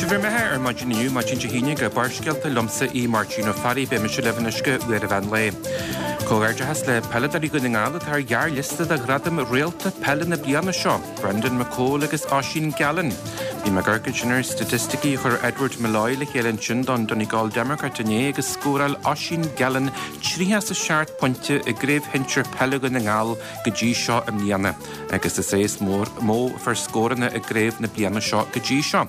Sibh ar mbeatha ar maidin inniu, maidin Dé hAoine, go Barrscéalta liomsa í Máirtín Ó Fearraigh, beidh mise libh anois go uair an mheán lae. Comhghairdeachas le peileadóirí Dhún na nGall atá ar ghearrliosta do ghradam Réalta Peile na bliana seo, Brendan McCole agus Oisín Gallen. Bhí mé ag amharc ansin ar staitisticí a chuir Edward Molloy le chéile ansin don Donegal Democrat inné agus scóráil Oisín Gallen 37 pointe i gCraobh Shinsir Peile Dhún na nGall go dtí seo i mbliana agus is é is mó a fuair scóranna i gcraobh na bliana seo go dtí seo.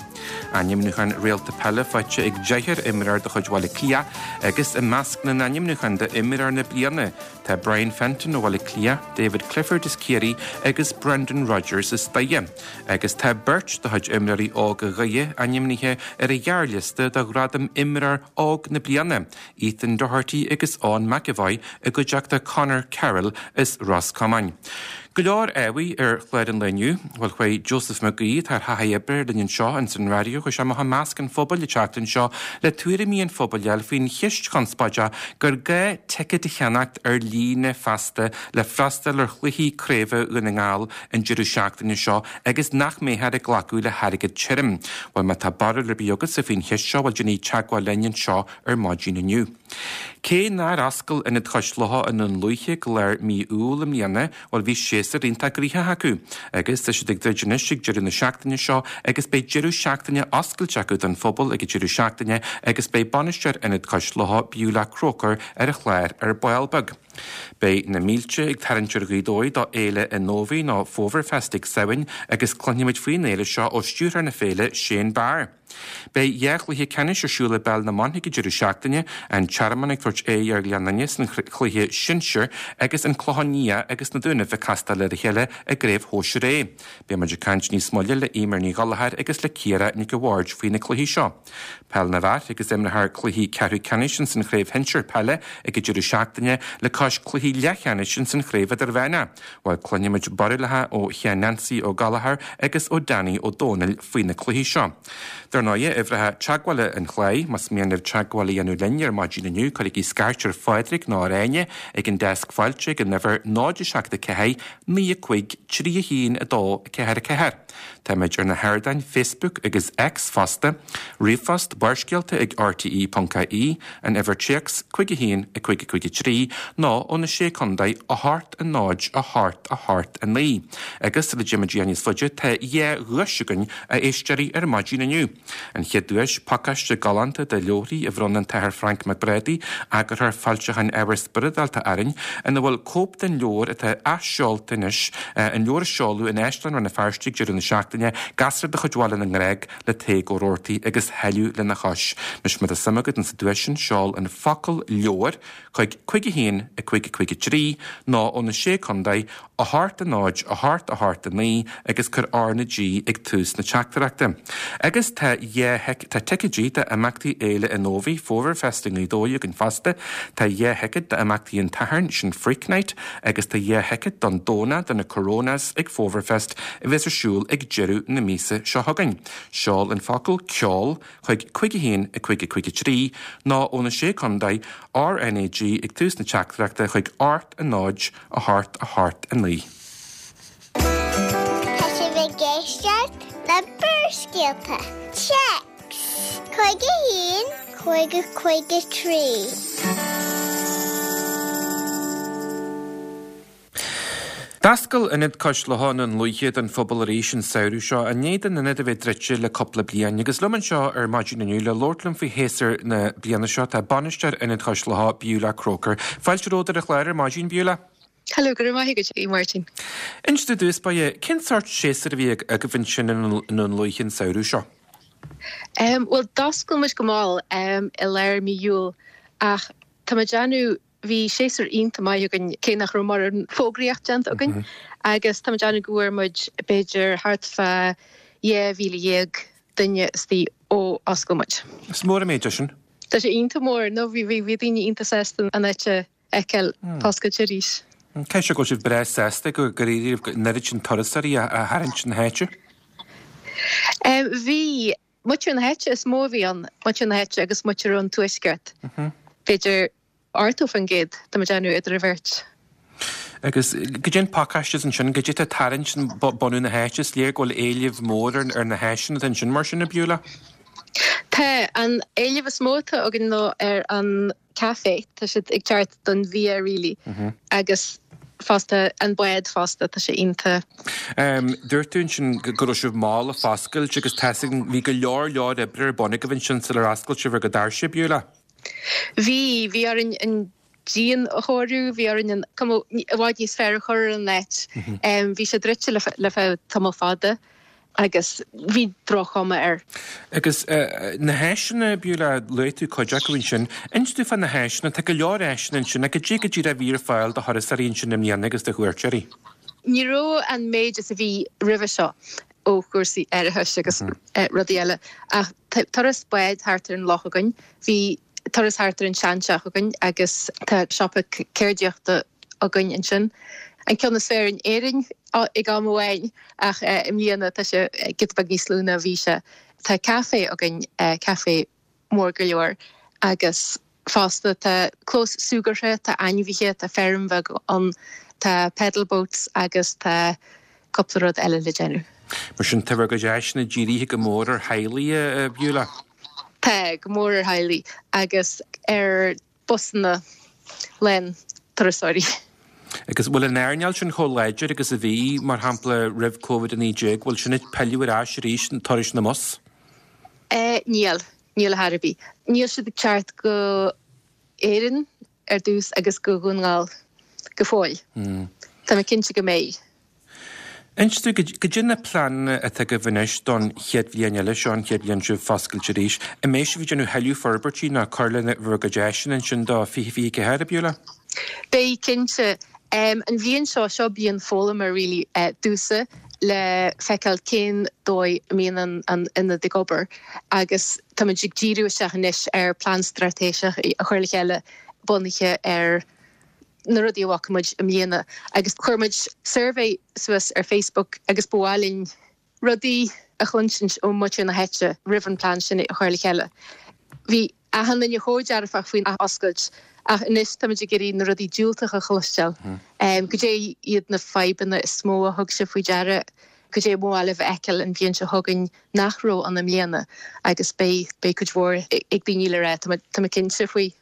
Ainmniúchán Réalta Peile faighte ag deichniúr imreoir de chuid Bhaile Átha Cliath agus i measc na n-ainmniúchán d'imreoir na bliana tá Brian Fenton ó Bhaile Átha Cliath, David Clifford as Ciarraí agus Brendan Rogers as Doire. Agus tá beirt de chuid imreoirí óga Dhoire ainmnithe ar an ghearrliosta do ghradam Imreoir Óg na Bliana, Ethan Doherty agus Eoin McEvoy i gcuideachta Conor Carroll as Ros Comáin. Go leor ábhair ar chlár an lae inniu. Bhuel, chuaigh Joseph Mac Aoidh, atá ar thaithí oibre linn anseo ins an raidió, chuaigh sé amach i measc an phobail an tseachtain seo le tuairimí an phobail a fháil faoin cheist chonspóideach gur gá ticéad a cheannacht ar líne feasta le freastal ar chluichí craoibhe Dhún na nGall an deireadh seachtaine seo agus nach mbeifear ag glacadh le hairgead tirim. Bhuel, má tá barúil ar bith agatsa faoin cheist seo, bhuel, déanaigí teagmháil linn anseo ar maidin inniu. Cé nár oscail Ionad Chois Locha i nDún Lúiche go lár mí Iúil i mbliana, bhuel bhí séasúr iontach gnoitheach acu agus tá siad ag druid anois ag deireadh na seachtaine seo agus beidh deireadh seachtaine oscailte acu don phobal ag an deireadh seachtaine agus beidh bainisteoir Ionad Cois Locha, Beulah Croker ar an chlár ar ball beag. Beidh na mílte ag tarraingt ar Ghaoth Dobhair do Fhéile Innovaí nó Fómharfest ag Samhain agus cluinfimid faoin fhéile seo ó stiúrthóir na féile, Shane Barr. Beidh dhá chluiche ceannais ar siúl i bPeil na mBan ag an deireadh seachtaine, An Tearmann ag tabhairt aghaidh ar Ghleann Fhinne san chluiche sinsir agus An Clochán Liath agus na Dúnaibh ag castáil ar a chéile i gCraobh Shóisir A. Beidh muid ag caint níos moille le Eimear Ní Ghallchóir agus le Ciara Nic a' Bhaird faoi na cluichí seo. Peil na bhFear agus imreofar cluichí ceathrú ceannais ins an Chraobh Shinsir Peile ag an deireadh seachtaine le cois cluichí leathcheannais ins an Chraobh Idirmheánach. Bhuel, cluinfimid barúlacha ó Sheán Neansaí Ó Gallchóir agus ó Danny Ó Dónaill faoi na cluichí seo. Dar ndóighe, uimhreacha teagmhála an chláir, más mian libh teagmháil a dhéanamh linn ar maidin inniu, cuirigí scairt ar Phádraig nó ar Áine ag an deasc fáilte ag an uimhir 0 7 4 9 5 3 1 2 4 4. Táimid ar na hardáin Facebook agus X fosta, ríomhphost, Barrscéalta ag rte.ie, an uimhir téacs 5 1 5 5 3 nó ó na Sé Contae 8 0 8 8 9. Agus sula dtéimid níos faide tá dhá dhuais againn a éisteoirí ar maidin inniu. An chéad duais, pacáiste galánta de leabharthaí a bhronn an tAthair Frainc Mac Brádaigh, eagarthóir foilseacháin ábhar spioradálta orainn, ina bhfuil cóip den leabhar atá athsheolta anois, an leabhar a seoladh in Áislann Rann na Feirste ag deireadh na seachtaine, Gasra de chuid Bhaile na nGrág le Tadhg Ó Rabhartaigh agus Thuilleadh lena chois. Anois má tá suim agat insa duais sin, seol an focal 'leabhar' chuig 5 1 5 5 3 nó ó na Sé Contae, 8 0 8 8 9 agus cuir R na G ag tús na teachtaireachta. Agus tá dhá tá ticéidí d'imeachtaí Fhéile Innovaí, Fómharfest i nGaoth Dobhair againn fosta. Tá dhá thicéad d'imeachtaí an tSathairn, sin Freak Night, agus tá dhá thicéad don Domhnach do na Coronas ag Fómharfest a bheas ar siúl ag deireadh na míosa seo chugainn. Seol an focal 'ceol' chuig 5 1 5 5 3 nó ó na Sé Contae, RnaG ag tús na teachtaireachta chuig 8 0 8 8 9. Tá sibh ag éisteacht le Barrscéalta, Téacs 51 50 53. D'oscail Ionad Cois Locha i nDún Lúiche don phobal arís an samhradh seo, i ndiaidh don ionad a bheith druidte le cúpla bliain. Agus liom anseo ar maidin inniu le labhairt liom faoi shéasúr na bliana seo tá bainisteoir Ionad Chois Locha, Beulah Croker. Fáilte romhat ar an chlár ar maidin, Beulah. Hello, go raibh maith agat, a Mháirtín. Inis i dtús báire, cén sórt séasúr a bhí agaibh ansin i nDún Lúiche an samhradh seo? Bhuel, d'oscail muid go mall i lár mí Iúil ach tá mé ag déanamh, bhí séasúr iontach maith againn cé nach raibh mórán fógraíocht déanta againn agus tá mé ag déanamh go bhfuair muid b'fhéidir thart fá 12,000 duine istigh ó oscail muid. Is mór an méid é sin. Tá sé iontach mór. No, bhí, bhí daoine iontach sásta an áit a fheiceáil oscailte arís. Caithfidh sé go bhfuil sibh breá sásta gur éirigh libh an oiread sin turasóirí a tharraingt chun na háite? Bhí. Muintir na háite is mó a bhí ann, muintir na háite agus muintir ón tuaisceart. B'fhéidir 80%, tá mé ag déanamh, idir an bheirt. Agus goidé an pacáiste ansin, goidé atá ag tarraingt bunadh na háite, is léir go bhfuil éileamh mór ar na háiseanna atá ansin mar sin, a Beulah? Tá. An éileamh is mó atá againn ná ar an café. Tá siad ag teacht don bhia really agus fosta an bád fosta, tá sé iontach. Dúirt tú ansin go raibh sibh mall ag foscailt agus tá a fhios agam bhí go leor leor oibre ar bun agaibh ansin sular oscail sibh bhur gcuid doirse, Beulah? Bhí, bhí orainn an díon a chóiriú, bhí orainn an cuma i bhfad níos fearr a chur ar an áit. Bhí sé druidte le feadh tamall fada agus bhí droch-chuma air. Agus na háiseanna, Beulah, luaigh tú cuid acu ansin. Inis domh fá na háiseanna, tá go leor áiseanna ansin, ach cad é go díreach a bhí ar fáil do thurasóirí ansin i mbliana agus do chuairteoirí? Ní raibh an méid is a bhí roimhe seo ó chúrsaí árachais agus rudaí eile ach tá turas báid thart ar an loch againn. Bhí turas thart ar an seanteach againn agus tá siopa ceardaíochta againn ansin. An ceann is fearr in Éirinn ag am amháin ach i mbliana tá sé giota beag níos lú ná a bhí sé. Tá caifé againn, caifé mór go leor agus fosta tá clós súgartha, tá ainmhithe, tá feirm bheag ann, tá pedal boats agus tá cúpla rud eile le déanamh. Mar sin tá bhur gcuid áiseanna dírithe go mór ar theaghlaigh, a Beulah? Tá, go mór ar theaghlaigh agus ar busanna lán turasóirí. Agus bhfuil an earnáil sin chomh láidir agus a bhí, mar shampla, roimh Covid-19? Bhfuil sin ag pilleadh ar ais arís, turais na mbus? Níl, níl ar chor ar bith. Níl siad ag teacht go Éirinn ar dtús agus go Dhún na nGall go fóill. Tá mé cinnte go mbeidh. Inis domh, cad é na pleananna atá agaibh anois don chéad bhliain eile seo, an chéad bhliain sibh foscailte arís? An mbeidh sibh ag déanamh thuilleadh forbairtí nó cur le bhur gcuid áiseanna ansin do 2024, a Beulah? Beidh, cinnte. An bhliain seo, seo bliain foghlama really domhsa le feiceáil cén dóigh a mbíonn an ionad ag obair agus táimid ag díriú isteach anois ar plean straitéiseach a chur le chéile bunaithe ar na rudaí a bhfaca muid i mbliana agus chuir muid suirbhé suas ar Facebook agus ba mhaith linn rudaí a chluinsint ó mhuintir na háite roimh an plean sin a chur le chéile. Bhí achan duine chomh dearfach faoin athoscailt ach anois táimid ag iarraidh na rudaí diúltacha a chloisteáil. Goidé iad na fadhbanna is mó a thug sibh faoi deara? Goidé ba mhaith libh a fheiceáil an bhliain seo chugainn nach raibh ann i mbliana? Agus beidh cuid mhór ag daoine le rá, tá mé cinnte faoi.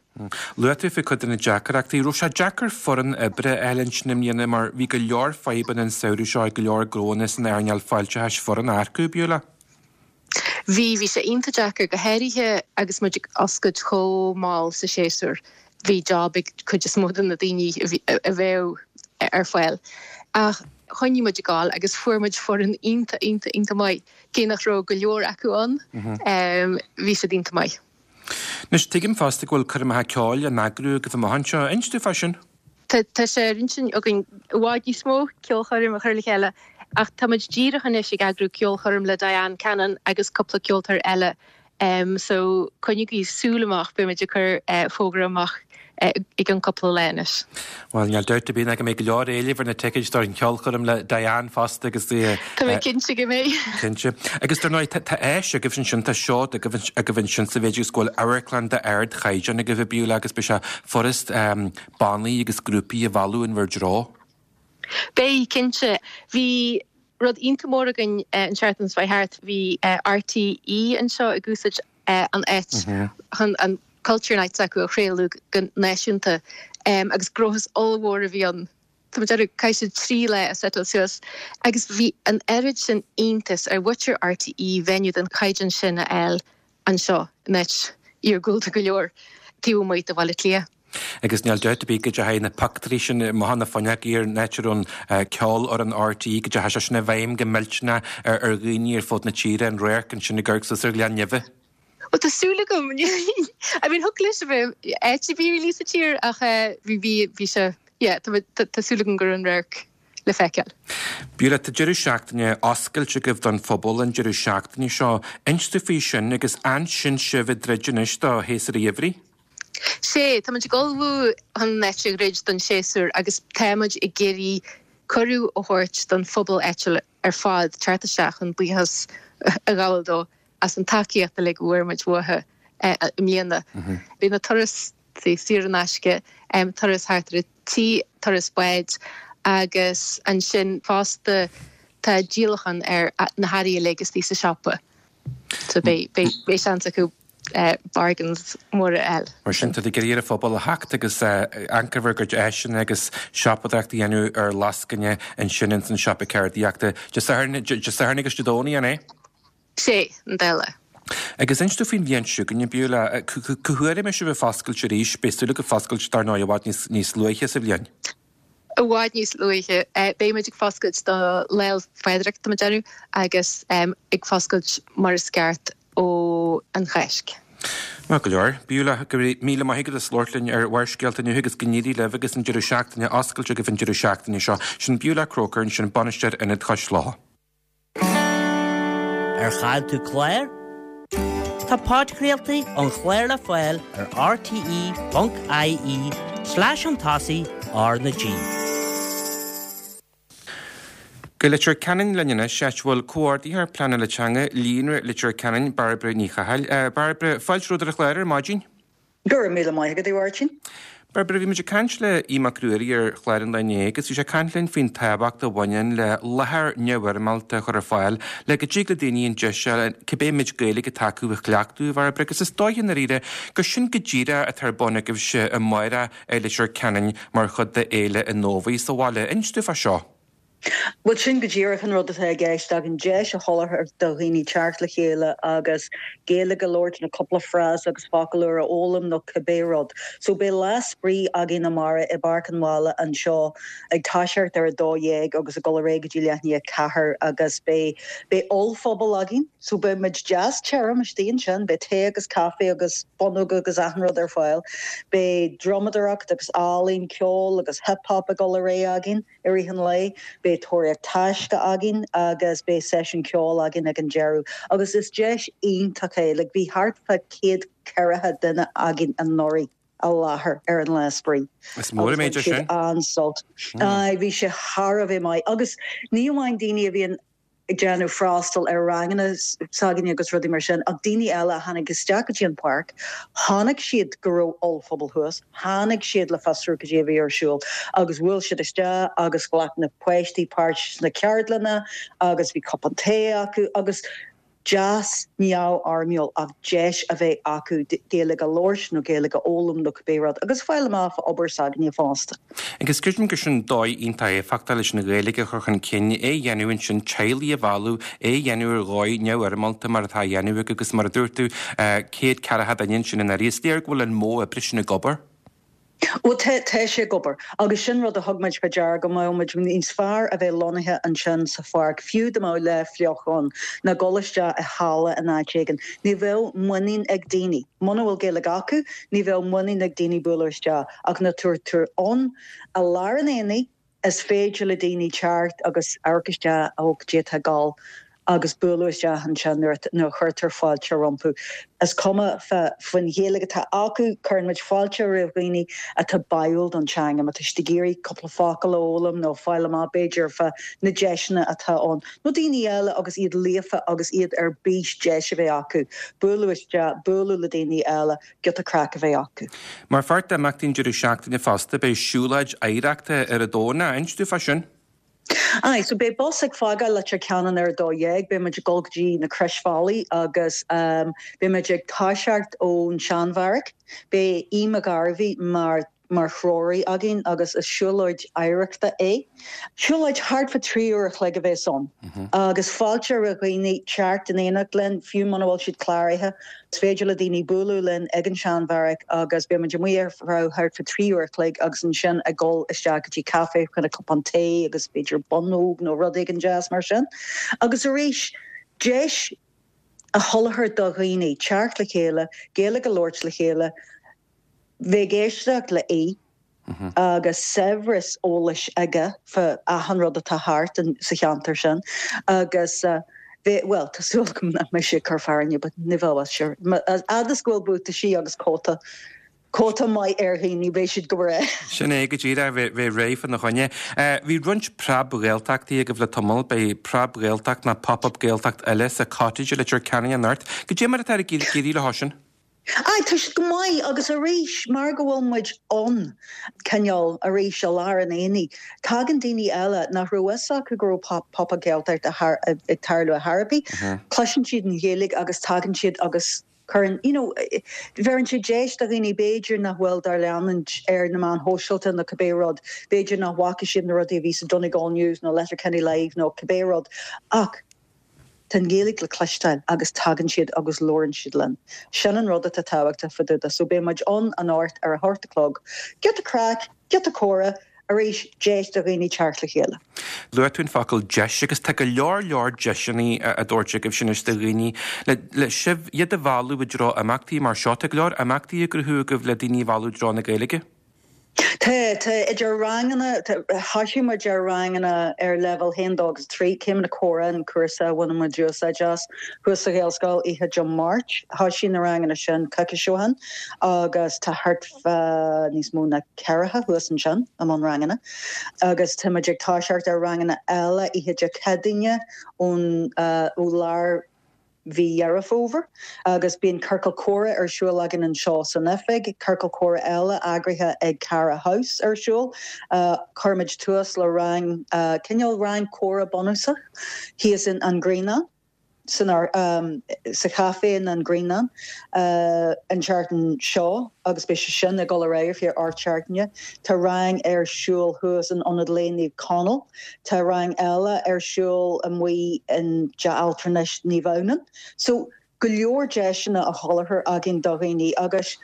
Luaigh tú faoi cuid de na deacrachtaí. Raibh sé deacair foireann oibre a fháil ansin i mbliana mar bhí go leor fadhbanna an samhradh seo ag go leor gnóanna san earnáil fáilteachais foireann a earcú, Beulah? Bhí, bhí sé iontach deacair, go háirithe agus muid ag oscailt chomh mall sa séasúr. Bhí job ag cuid is mó de na daoine a bheadh ar fáil. Ach choinnigh muid ag gabháil agus fuair muid foireann iontach, iontach, iontach maith. Cé nach raibh go leor acu ann, bhí siad iontach maith. Anois, tuigim fosta go bhfuil coirmeacha ceoil á n-eagrú agaibh amach anseo. Inis domh fá sin. Tá sé ar intinn againn i bhfad níos mó ceolchoirm a chur le chéile ach tá muid díreach anois ag eagrú ceolchoirm le Diane Cannon agus cúpla ceoltóir eile so coinnígí súil amach, beidh muid ag cur fógra amach i gcionn cúpla lá anois. Bhuel, níl dabht ar bith ná go mbeidh go leor éilimh ar na ticéid don cheolchoirm le Diane fosta agus. Tá mé cinnte go mbeidh. Cinnte. Agus dar ndóigh, tá áis agaibh ansin, tá seod agaibh agaibh ansin sa mhéid agus go bhfuil amharclann d'ardchaighdeán agaibh a Beulah agus beidh sé furast bannaí agus grúpaí a mhealladh in bhur dtreo. Beidh, cinnte. Bhí rud iontach mór againn an tseachtain seo thart, bhí RTÉ anseo ag úsáid an áit chun an Culture Night s'acu a chraoladh go náisiúnta agus gnóthas ollmhór a bhí ann. Tá mé ag déanamh, chaith siad 3 lá ag seiteáil suas agus bhí an oiread sin iontas ar mhuintir RTÉ venue den chaighdeán sin a fháil anseo in áit iargúlta go leor taobh amuigh de Bhaile Átha Cliath. Agus níl dabht ar bith go dteachaigh na pictiúirí sin amach na fuinneoga ar an áit a raibh an ceolfhoireann RTÉ, go dteachaigh sé sin i bhfeidhm go millteanach ar dhaoine ar fud na tíre, an radharc ansin ag amharc suas ar Ghleann Neimhidh. Bhuel tá súil agam. I mean thiocfadh leis a bheith áit ar bith really sa tír ach bhí bhí bhí sé yeah tá tá súil agam go raibh an radharc le feiceáil. Beulah, tá deireadh seachtaine oscailte agaibh don phobal an deireadh seachtaine seo. Inis domh faoi sin agus ansin sibh ag druid anois do shéasúr an gheimhridh. Sea, tá muid ag ullmhú chun an áit a dhruid don séasúr agus tá muid ag iarraidh cuireadh a thabhairt don phobal áitiúil ar fad teacht isteach chun buíochas a ghabháil dó as an tacaíocht uilig a bhfuair muid uathu i mbliana. Beidh na turais saor in aisce, turas thart ar an tí, turas báid agus ansin fosta tá díolachán ar na hearraí uilig istigh sa siopa. So beidh seans acu. Bargains móra a fháil. Mar sin, tá tú ag iarraidh ar an phobal a theacht agus amharc ar bhur gcuid áiseanna agus siopadóireacht a dhéanamh ar lascaine ansin ins an siopa ceardaíochta Dé Sathairn, Dé Sathairn agus Dé Domhnaigh, an é? Sé, an dá lá. Agus inis domh faoin bhliain seo chugainn, Beulah, cá huair a mbeidh sibh ag foscailt arís? Beidh súil agaibh foscailt dar ndóigh i bhfad níos luaithe sa bhliain. I bhfad níos luaithe. Beidh muid ag foscailt do Lá 'le Phádraig, tá muid ag déanamh, agus ag foscailt mar is ceart ó an Cháisc. Maith go leor. Beulah, go raibh míle maith agat as labhairt linn ar Bharrscéalta inniu agus go n-éirí libh agus an deireadh seachtaine oscailte agaibh an deireadh seachtaine seo. Sin Beulah Croker ansin, Bainisteoir Ionad Chois Locha. Ar chaill tú clár? Tá podchraoltaí an chláir le fáil ar rte.ie slash chun tosaigh R na G. Go Leitir Ceanainn linn anois, áit a bhfuil Comhordaitheoir Pleanála Teanga Líonra Leitir Ceanainn, Bairbre Ní Chathail. Bairbre, fáilte romhat ar an chlár ar maidin. Go raibh míle maith agat, a Mháirtín. Bairbre, bhí muid ag caint le Aodh Mac Ruairí ar chlár an lae inné agus bhí sé ag caint linn faoin tábhacht a bhaineann le láthair neamhfhoirmeálta a chur ar fáil le go dtig le daoine an deis a fháil cibé méid Gaeilge atá acu a chleachtadh, a Bhairbre, agus is dóiche i ndáiríre gur sin go díreach atá ar bun agaibhse amárach i Leitir Ceanainn mar chuid de Fhéile an Fhómhair sa bhaile. Inis dúinn fá seo. Bhuel, sin go díreach an rud atá i gceist againn, deis a sholáthar do dhaoine teacht le chéile agus Gaeilge a labhairt nó cúpla frása agus focal úr a fhoghlaim nó cibé rud. So beidh lá spraoi againn amárach i bPáirc an Bhaile anseo ag toiseacht ar a 12 agus ag dul ar aghaidh go dtí leath i ndiaidh a 4 agus beidh beidh ollphuball againn so beidh muid deas tirim istigh ansin, beidh tae agus caife agus bonnóga agus achan rud ar fáil. Beidh drumadóireacht agus ealaín, ceol agus hip hop ag dul ar aghaidh againn. I rith an lae, beidh tóraíocht taisce againn agus beidh seisiún ceoil againn ag an deireadh. Agus is deis iontach é, like bhí thart fá 140 duine againn anuraidh i láthair ar an lá spraoi. Is mór an méid é sin. Agus bhain siad an-sult. Aye, bhí sé thar a bheith maith. Agus ní amháin daoine a bhíonn ag déanamh freastal ar ranganna s'againne agus rudaí mar sin ach daoine eile a tháinig isteach go dtí an pháirc, chonaic siad go raibh ollphuball thuas, tháinig siad le fiosrú cad é a bhí ar siúl agus bhuail siad isteach agus ghlac na páistí páirt sna ceardlanna agus bhí cupán tae acu agus deas neamhfhoirmiúil ach deis a bheith acu Gaeilge a labhairt nó Gaeilge a fhoghlaim nó cibé rud agus fáil amach fá obair s'againne fosta. Agus creidim gur sin dóigh iontach éifeachtach leis an Ghaeilge a chur chun cinn, é a dhéanamh ansin, teaghlaigh a mhealladh, é a dhéanamh ar dhóigh neamhfhoirmeálta mar atá á dhéanamh agaibh agus mar a dúirt tú, 140 duine ansin anuraidh. Is léir go bhfuil an modh oibre sin ag obair. Bhuel, tá, tá sé ag obair. Agus sin rud a thug muid fá deara, go mbeadh muid níos fearr a bheith lonnaithe ansin sa pháirc, fiú dá mbeadh lá fliuch ann, ná dul isteach i halla in áit éigin. Ní bheadh muinín ag daoine. Muna bhfuil Gaeilge acu, ní bheadh muinín ag daoine bualadh isteach. Ach nuair atá tú ann i lár an aonaigh, is féidir le daoine teacht agus amharc isteach, ó, cad é atá ag dul agus bualadh isteach ansin nuair a chuirtear fáilte rompu. Is cuma faoin Ghaeilge atá acu, cuireann muid fáilte roimh dhaoine atá báúil don teanga, má tá siad ag iarraidh cúpla focal a fhoghlaim nó fáil amach b'fhéidir fá na deiseanna atá ann, nó daoine eile agus iad líofa agus iad ar bís deis a bheith acu bualadh isteach, bualadh le daoine eile. giota craic a bheith acu. Mar pháirt d'imeachtaí an deireadh seachtaine fosta, beidh siúlóid oidhreachta ar an Domhnach. Inis dúinn fá sin. Aye, so beidh bus ag fágáil Leitir Ceanainn ar a 12, beidh muid ag dul go dtí na Croisbhealaí agus beidh muid ag toiseacht ón Seanbheairic. Beidh Aodh Mac Gairbhí mar mar threoraí againn agus is siúlóid oidhreachta é. Siúlóid thart fá 3 uair a chloig a bheas ann agus fáilte roimh dhaoine teacht in éineacht linn, fiú muna bhfuil siad cláraithe. Is féidir le daoine bualadh linn ag an Seanbheairic agus beidh muid amuigh ar feadh thart fá 3 uair a chloig agus ansin ag dul isteach go dtí caife chun cupán tae agus b'fhéidir bonnóg nó rud éigin deas mar sin. Agus arís, deis a sholáthar do dhaoine teacht le chéile, Gaeilge a labhairt le chéile, bheith ag éisteacht le Aodh agus saibhreas eolais aige fá achan rud atá thart sa cheantar sin agus bheith, bhuel, tá súil agam nach mbeidh sé ag cur fearthainne but ní bheadh, sure. Fhad is go bhfuil buataisí agus cóta, cóta maith ar dhaoine, beidh siad go breá. Sin é go díreach, bheith réidh fána choinne. Bhí roinnt Preab-Ghaeltachtaí agaibh le tamall, beidh Preab-Ghaeltacht nó Pop-Up Gaeltacht eile sa Cottage i Leitir Ceanainn anocht. Cad é mar atá ag éirí leo sin? Aye, tá siad go maith agus arís, mar go bhfuil muid ann, cineál, arís, i lár an aonaigh, tagann daoine eile nach raibh fhios acu go raibh Pop Up Gaeltacht ag tarlú ar chor ar bith, cloiseann siad an Ghaeilge agus tagann siad agus. Cuireann, you know, bheireann sé deis do dhaoine b'fhéidir nach bhfuil dár leanúint ar na meáin shóisialta nó cibé rud, b'fhéidir nach bhfaca siad na rudaí a bhí sa Donegal News nó Letterkenny Live nó cibé rud ach tá an Ghaeilge le cloisteáil agus tagann siad agus labhrann siad linn. Sin an rud atá tábhachtach fá dtaobh de. So beidh muid ann anocht ar a hocht a chlog. Giota craic, giota comhrá, arís, deis do dhaoine teacht le chéile. Luaigh tú an focal deis agus tá go leor leor deiseanna á dtabhairt agaibhse anois do dhaoine le sibh, iad a mhealladh i dtreo imeachtaí mar seo. Tá go leor imeachtaí á gcruthú agaibh le daoine a mhealladh i dtreo na Gaeilge. Tá, tá, idir ranganna, thoisigh muid ar ranganna ar leibhéal 1, 2 agus 3, Céimeanna Comhrá an cúrsa a bhaineann muid úsáid as thuas sa Ghaelscoil oíche Dé Máirt. Thoisigh na ranganna sin coicís ó shin agus tá thart fá níos mó ná ceathracha thuas ansin i mbun ranganna agus tá muid ag toiseacht ar ranganna eile oíche Dé Céadaoine ón ó lár mhí Dheireadh Fómhair agus bíonn ciorcal comhrá ar siúl againn anseo san oifig, ciorcal comhrá eile eagraithe ag Cara House ar siúl. Chuir muid tús le rang, cineál rang comhrá bunúsach thíos in An Grianán, san sa chaifé in An Grianán an tseachtain seo agus beidh sé sin ag dul ar aghaidh ar feadh 8 seachtaine. Tá rang ar siúl thuas in Ionad Lae Naomh Conaill. Tá rang eile ar siúl amuigh in Teach Altranais Naomh Adhamhnáin. So, go leor deiseanna á sholáthar againn do dhaoine agus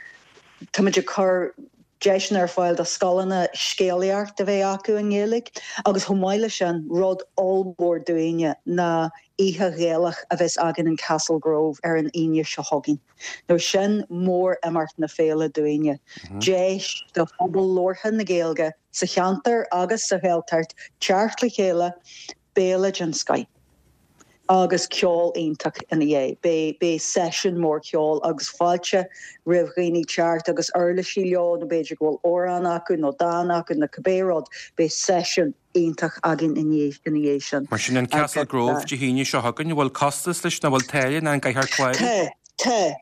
táimid ag cur deiseanna ar fáil do scoileanna scéalaíocht a bheith acu i nGaeilge agus chomh maith leis sin, rud ollmhór dúinne ná Oíche Ghaelach a bheas againn in Castle Grove ar an Aoine seo chugainn. Now sin mór-imeacht na féile dúinne. Deis do phobal labhartha na Gaeilge sa cheantar agus sa Ghaeltacht teacht le chéile, béile den scoith agus ceol iontach ina dhiaidh. Beidh beidh seisiún mór ceoil agus fáilte roimh dhaoine teacht agus uirlisí leo nó b'fhéidir go bhfuil amhrán acu nó dán acu nó cibé rud, beidh seisiún iontach againn ina dhiaidh sin. Mar sin an Castle Grove Dé hAoine seo chugainn, an bhfuil costas leis nó an bhfuil táille nó an gcaithfear clárú? Tá, tá.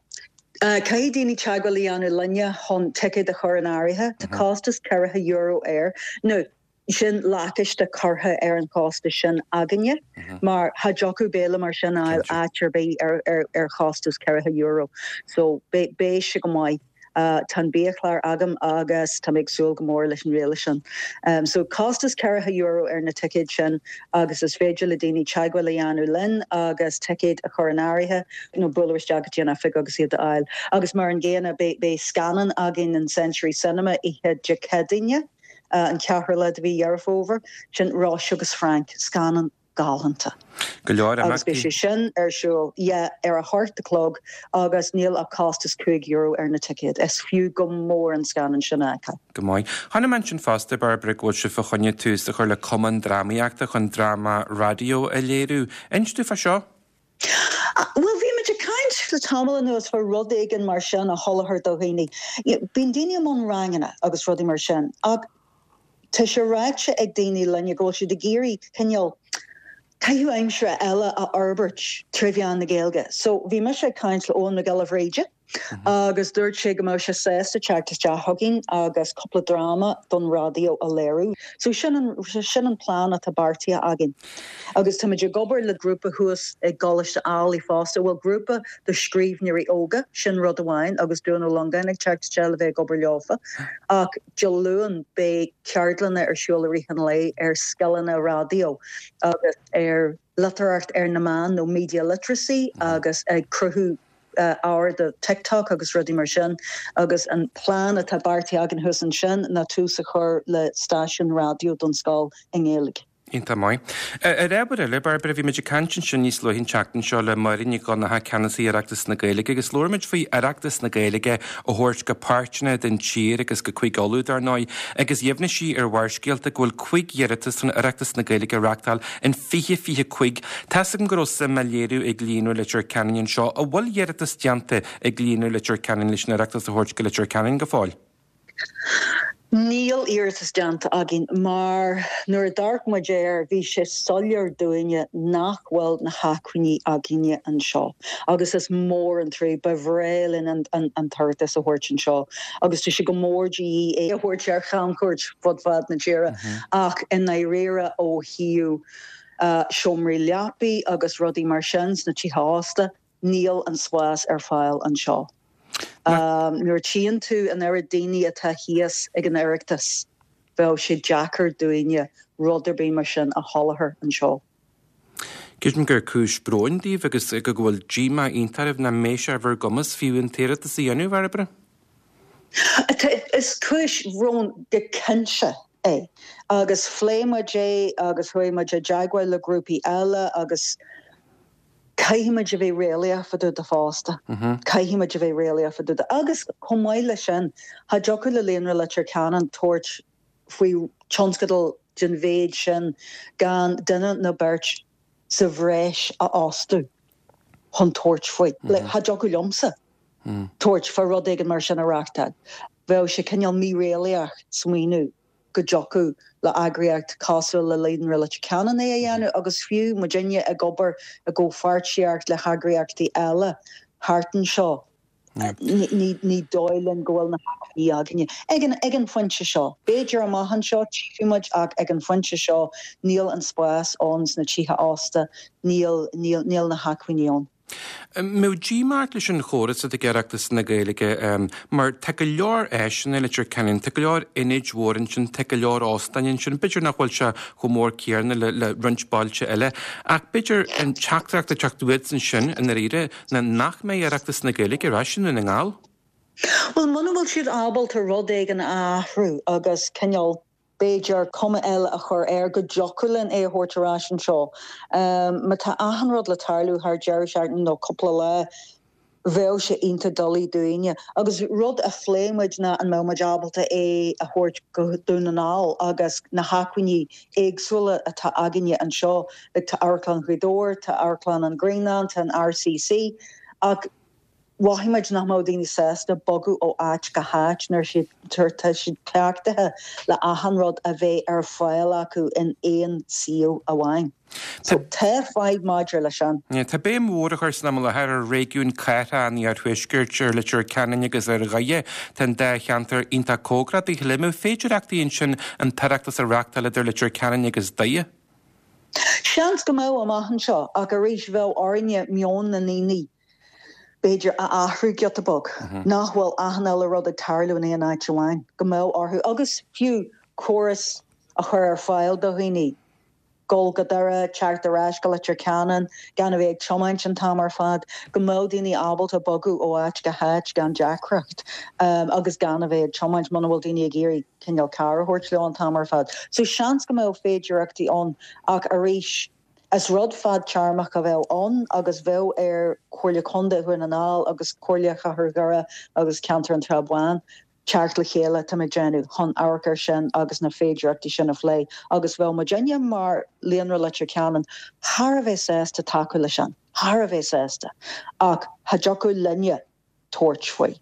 Caithfidh daoine teagmháil a dhéanamh linne chun ticéad a chur in áirithe. Tá costas €40 air. Now, sin lacáiste curtha ar an chostas sin againne mar cha dtiocfadh béile mar sin a fháil áit ar bith ar chostas €40. So, beidh sé go maith. Tá an biachlár agam agus tá mé ag súil go mór leis an bhéile sin. So, costas €40 ar na ticéid sin agus is féidir le daoine teagmháil a dhéanamh linn agus ticéid a chur in áirithe nó bualadh isteach go dtí an oifig agus iad a fháil. Agus mar an gcéanna, beidh scannán againn in Century Cinema oíche Dé Céadaoine, an ceathrú lá de mhí Dheireadh Fómhair, sin Róise agus Frank, scannán galánta. Go leor Agus beidh imeachtaí. sé sin ar siúl, yeah, ar a hocht a chlog agus níl ach costas €5 ar na ticéid. Is fiú go mór an scannán sin a fheiceáil. Go maith. Chonaic mé ansin fosta, Bairbre, go bhfuil sibh fá choinne tús a chur le cumann drámaíochta chun dráma raidió a léiriú. Inis dúinn fá seo. Bhuel, bhí muid ag caint le tamall anuas fá rud éigin mar sin a sholáthar do dhaoine. Bíonn daoine i mbun ranganna agus rudaí mar sin ach tá sé ráite ag daoine linne go bhfuil siad ag iarraidh cineál caitheamh aimsire eile a fhorbairt tré mheán na Gaeilge. So bhí mise ag caint le Eoin Mac Giolla Bhríde agus dúirt sé go mbeadh sé sásta teacht isteach chugainn agus cúpla dráma don raidió a léiriú. So sin an, sin an plean atá beartaithe againn. Agus táimid ag obair le grúpa thuas i gColáiste Ailigh fosta, bhuel grúpa do scríbhneoirí óga, sin rud amháin agus Dúin Ó Longáin ag teacht isteach le bheith ag obair leofa. Ach Dé Luain beidh ceardlanna ar siúl i rith an lae ar scileanna raidió agus ar litearthacht ar na meáin nó media literacy agus ag cruthú ábhar do TikTok agus rudaí mar sin agus an plean atá beartaithe againn thuas ansin ná tús a chur le stáisiún raidió don scoil i nGaeilge. Iontach maith. Ar ábhar eile, Bairbre, bhí muid ag caint ansin níos luaithe an tseachtain seo le Máire Nic Dhonncha, Ceannasaí Oireachtas na Gaeilge, agus labhair muid faoi Oireachtas na Gaeilge a thabhairt go páirteanna den tír agus go Cúige Uladh, dar ndóigh, agus dheimhnigh sí ar Bharrscéalta go bhfuil 5 iarratas chun Oireachtas na Gaeilge a reachtáil in 2025. Tá's agam go raibh suim á léiriú ag Líonra Leitir Ceanainn anseo. An bhfuil iarratas déanta ag Líonra Leitir Ceanainn leis an Oireachtas a thabhairt go Leitir Ceanainn go fóill? Níl iarratas déanta againn mar nuair a d'amharc muid air bhí sé soiléir dúinne nach bhfuil na hacmhainní againne anseo agus is mór an trua, ba bhreá linn an tOireachtas a thabhairt anseo agus tá sé go mór de dhíth é a thabhairt ar chamchuairt fud fad na tíre ach i ndáiríre ó thaobh seomraí leapaí agus rudaí mar sin sna tithe ósta. Níl an spás ar fáil anseo. Nuair a tchíonn tú an oiread daoine atá thíos ag an Oireachtas, bheadh sé deacair dúinne rud ar bith mar sin a sholáthar anseo. Creidim gur cúis bróin daoibh agus go bhfuil díomá iontach oraibh nach mbeidh sé ar bhur gcumas fiú an t-iarratas a dhéanamh, a Bhairbre. Is cúis bhróin go cinnte é agus phléigh muid é agus chuaigh muid i dteagmháil le grúpaí eile agus caithfidh muid a bheith réalaíoch fá dtaobh de fosta. Caithfidh muid a bheith réalaíoch fá dtaobh de. Agus chomh maith leis sin, cha dtiocfadh le Líonra Leitir Ceanainn tabhairt faoi tionscadal den mhéid sin gan duine nó beirt sa bhreis a fhostú chun tabhairt faoi. Like, cha dtiocfadh liomsa tabhairt fá rud éigin mar sin a reáchtáil. Bheadh sé cineál míréalaíoch smaoineamh go dtiocfadh le eagraíocht cosúil le Líonra Leitir Ceanainn é a dhéanamh agus fiú muidinne ag obair i gcomhpháirtíocht le heagraíochtaí eile thart anseo. Ní dóigh linn go bhfuil na hacmhainní againne. Ag an phointe seo. B'fhéidir amach anseo tchífidh muid ach ag an phointe seo níl an spás ann sna tithe ósta, níl, níl, níl na hacmhainní ann. An mbeadh díomá ort leis an chóras atá ag Oireachtas na Gaeilge mar tá go leor áiseanna i Leitir Ceanainn, tá go leor ionaid mhóra ansin, tá go leor óstáin ansin, b'fhéidir nach bhfuil sé chomh mór céanna le le roinnt bailte eile ach b'fhéidir an teachtaireacht ag teacht uait ansin i ndáiríre ná nach mbeidh Oireachtas na Gaeilge ar ais i nDún na nGall. Bhuel, muna bhfuil siad ábalta rud éigin a athrú agus cineál, b'fhéidir, cuma eile a chur air, go dtiocfadh linn é a thabhairt ar ais anseo. Má tá achan rud le tarlú thar deireadh seachtaine nó cúpla lá, bheadh sé iontach doiligh dúinne. Agus rud a phléigh muid ná an mbeadh muid ábalta é a thabhairt go Dún na nGall agus na hacmhainní éagsúla atá againne anseo, like tá Amharclann Ghaoth Dobhair, tá Amharclann an Ghrianáin, tá an RCC, ach mhothaigh muid nach mbeadh daoine sásta bogadh ó áit go háit nuair tá siad cleachtaithe le achan rud a bheith ar fáil acu in aon suíomh amháin. So tá fadhb maidir leis sin. Tá béim mhór á chur san am i láthair ar réigiún cathrach an iarthuaiscirt, ar Leitir Ceanainn agus ar Dhoire. Tá an dá cheantar iontach cóngarach dá chéile. An mbeadh féidireachtaí ansin an tOireachtas a reáchtáil idir Leitir Ceanainn agus Doire? Seans go mbeadh amach anseo ach arís bheadh orainne meon na ndaoine b'fhéidir, a athrú giota beag, nach bhfuil achan uile rud ag tarlú in aon áit amháin, go mbeadh orthu, agus fiú córas a chur ar fáil do dhaoine, dul go Doire, teacht ar ais go Leitir Ceanainn, gan a bheith ag tiomáint an t-am ar fad, go mbeadh daoine ábalta bogadh ó áit go háit gan deacracht agus gan a bheith ag tiomáint muna bhfuil daoine ag iarraidh cineál carr a thabhairt leo an t-am ar fad. So seans go mbeadh féidireachtaí ann ach arís, Is rud fadtéarmach a bheadh ann agus bheadh ar Chomhairle Contae Dhún na nGall agus Comhairle Chathair Dhoire agus Ceantar an tSrath Bháin teacht le chéile, tá mé ag déanamh, chun amharc air sin agus na féidireachtaí sin a phlé agus bheadh muidinne mar Líonra Leitir Ceanainn thar a bheith sásta tacú leis sin, thar a bheith sásta ach cha dtiocfadh linne tabhairt faoi.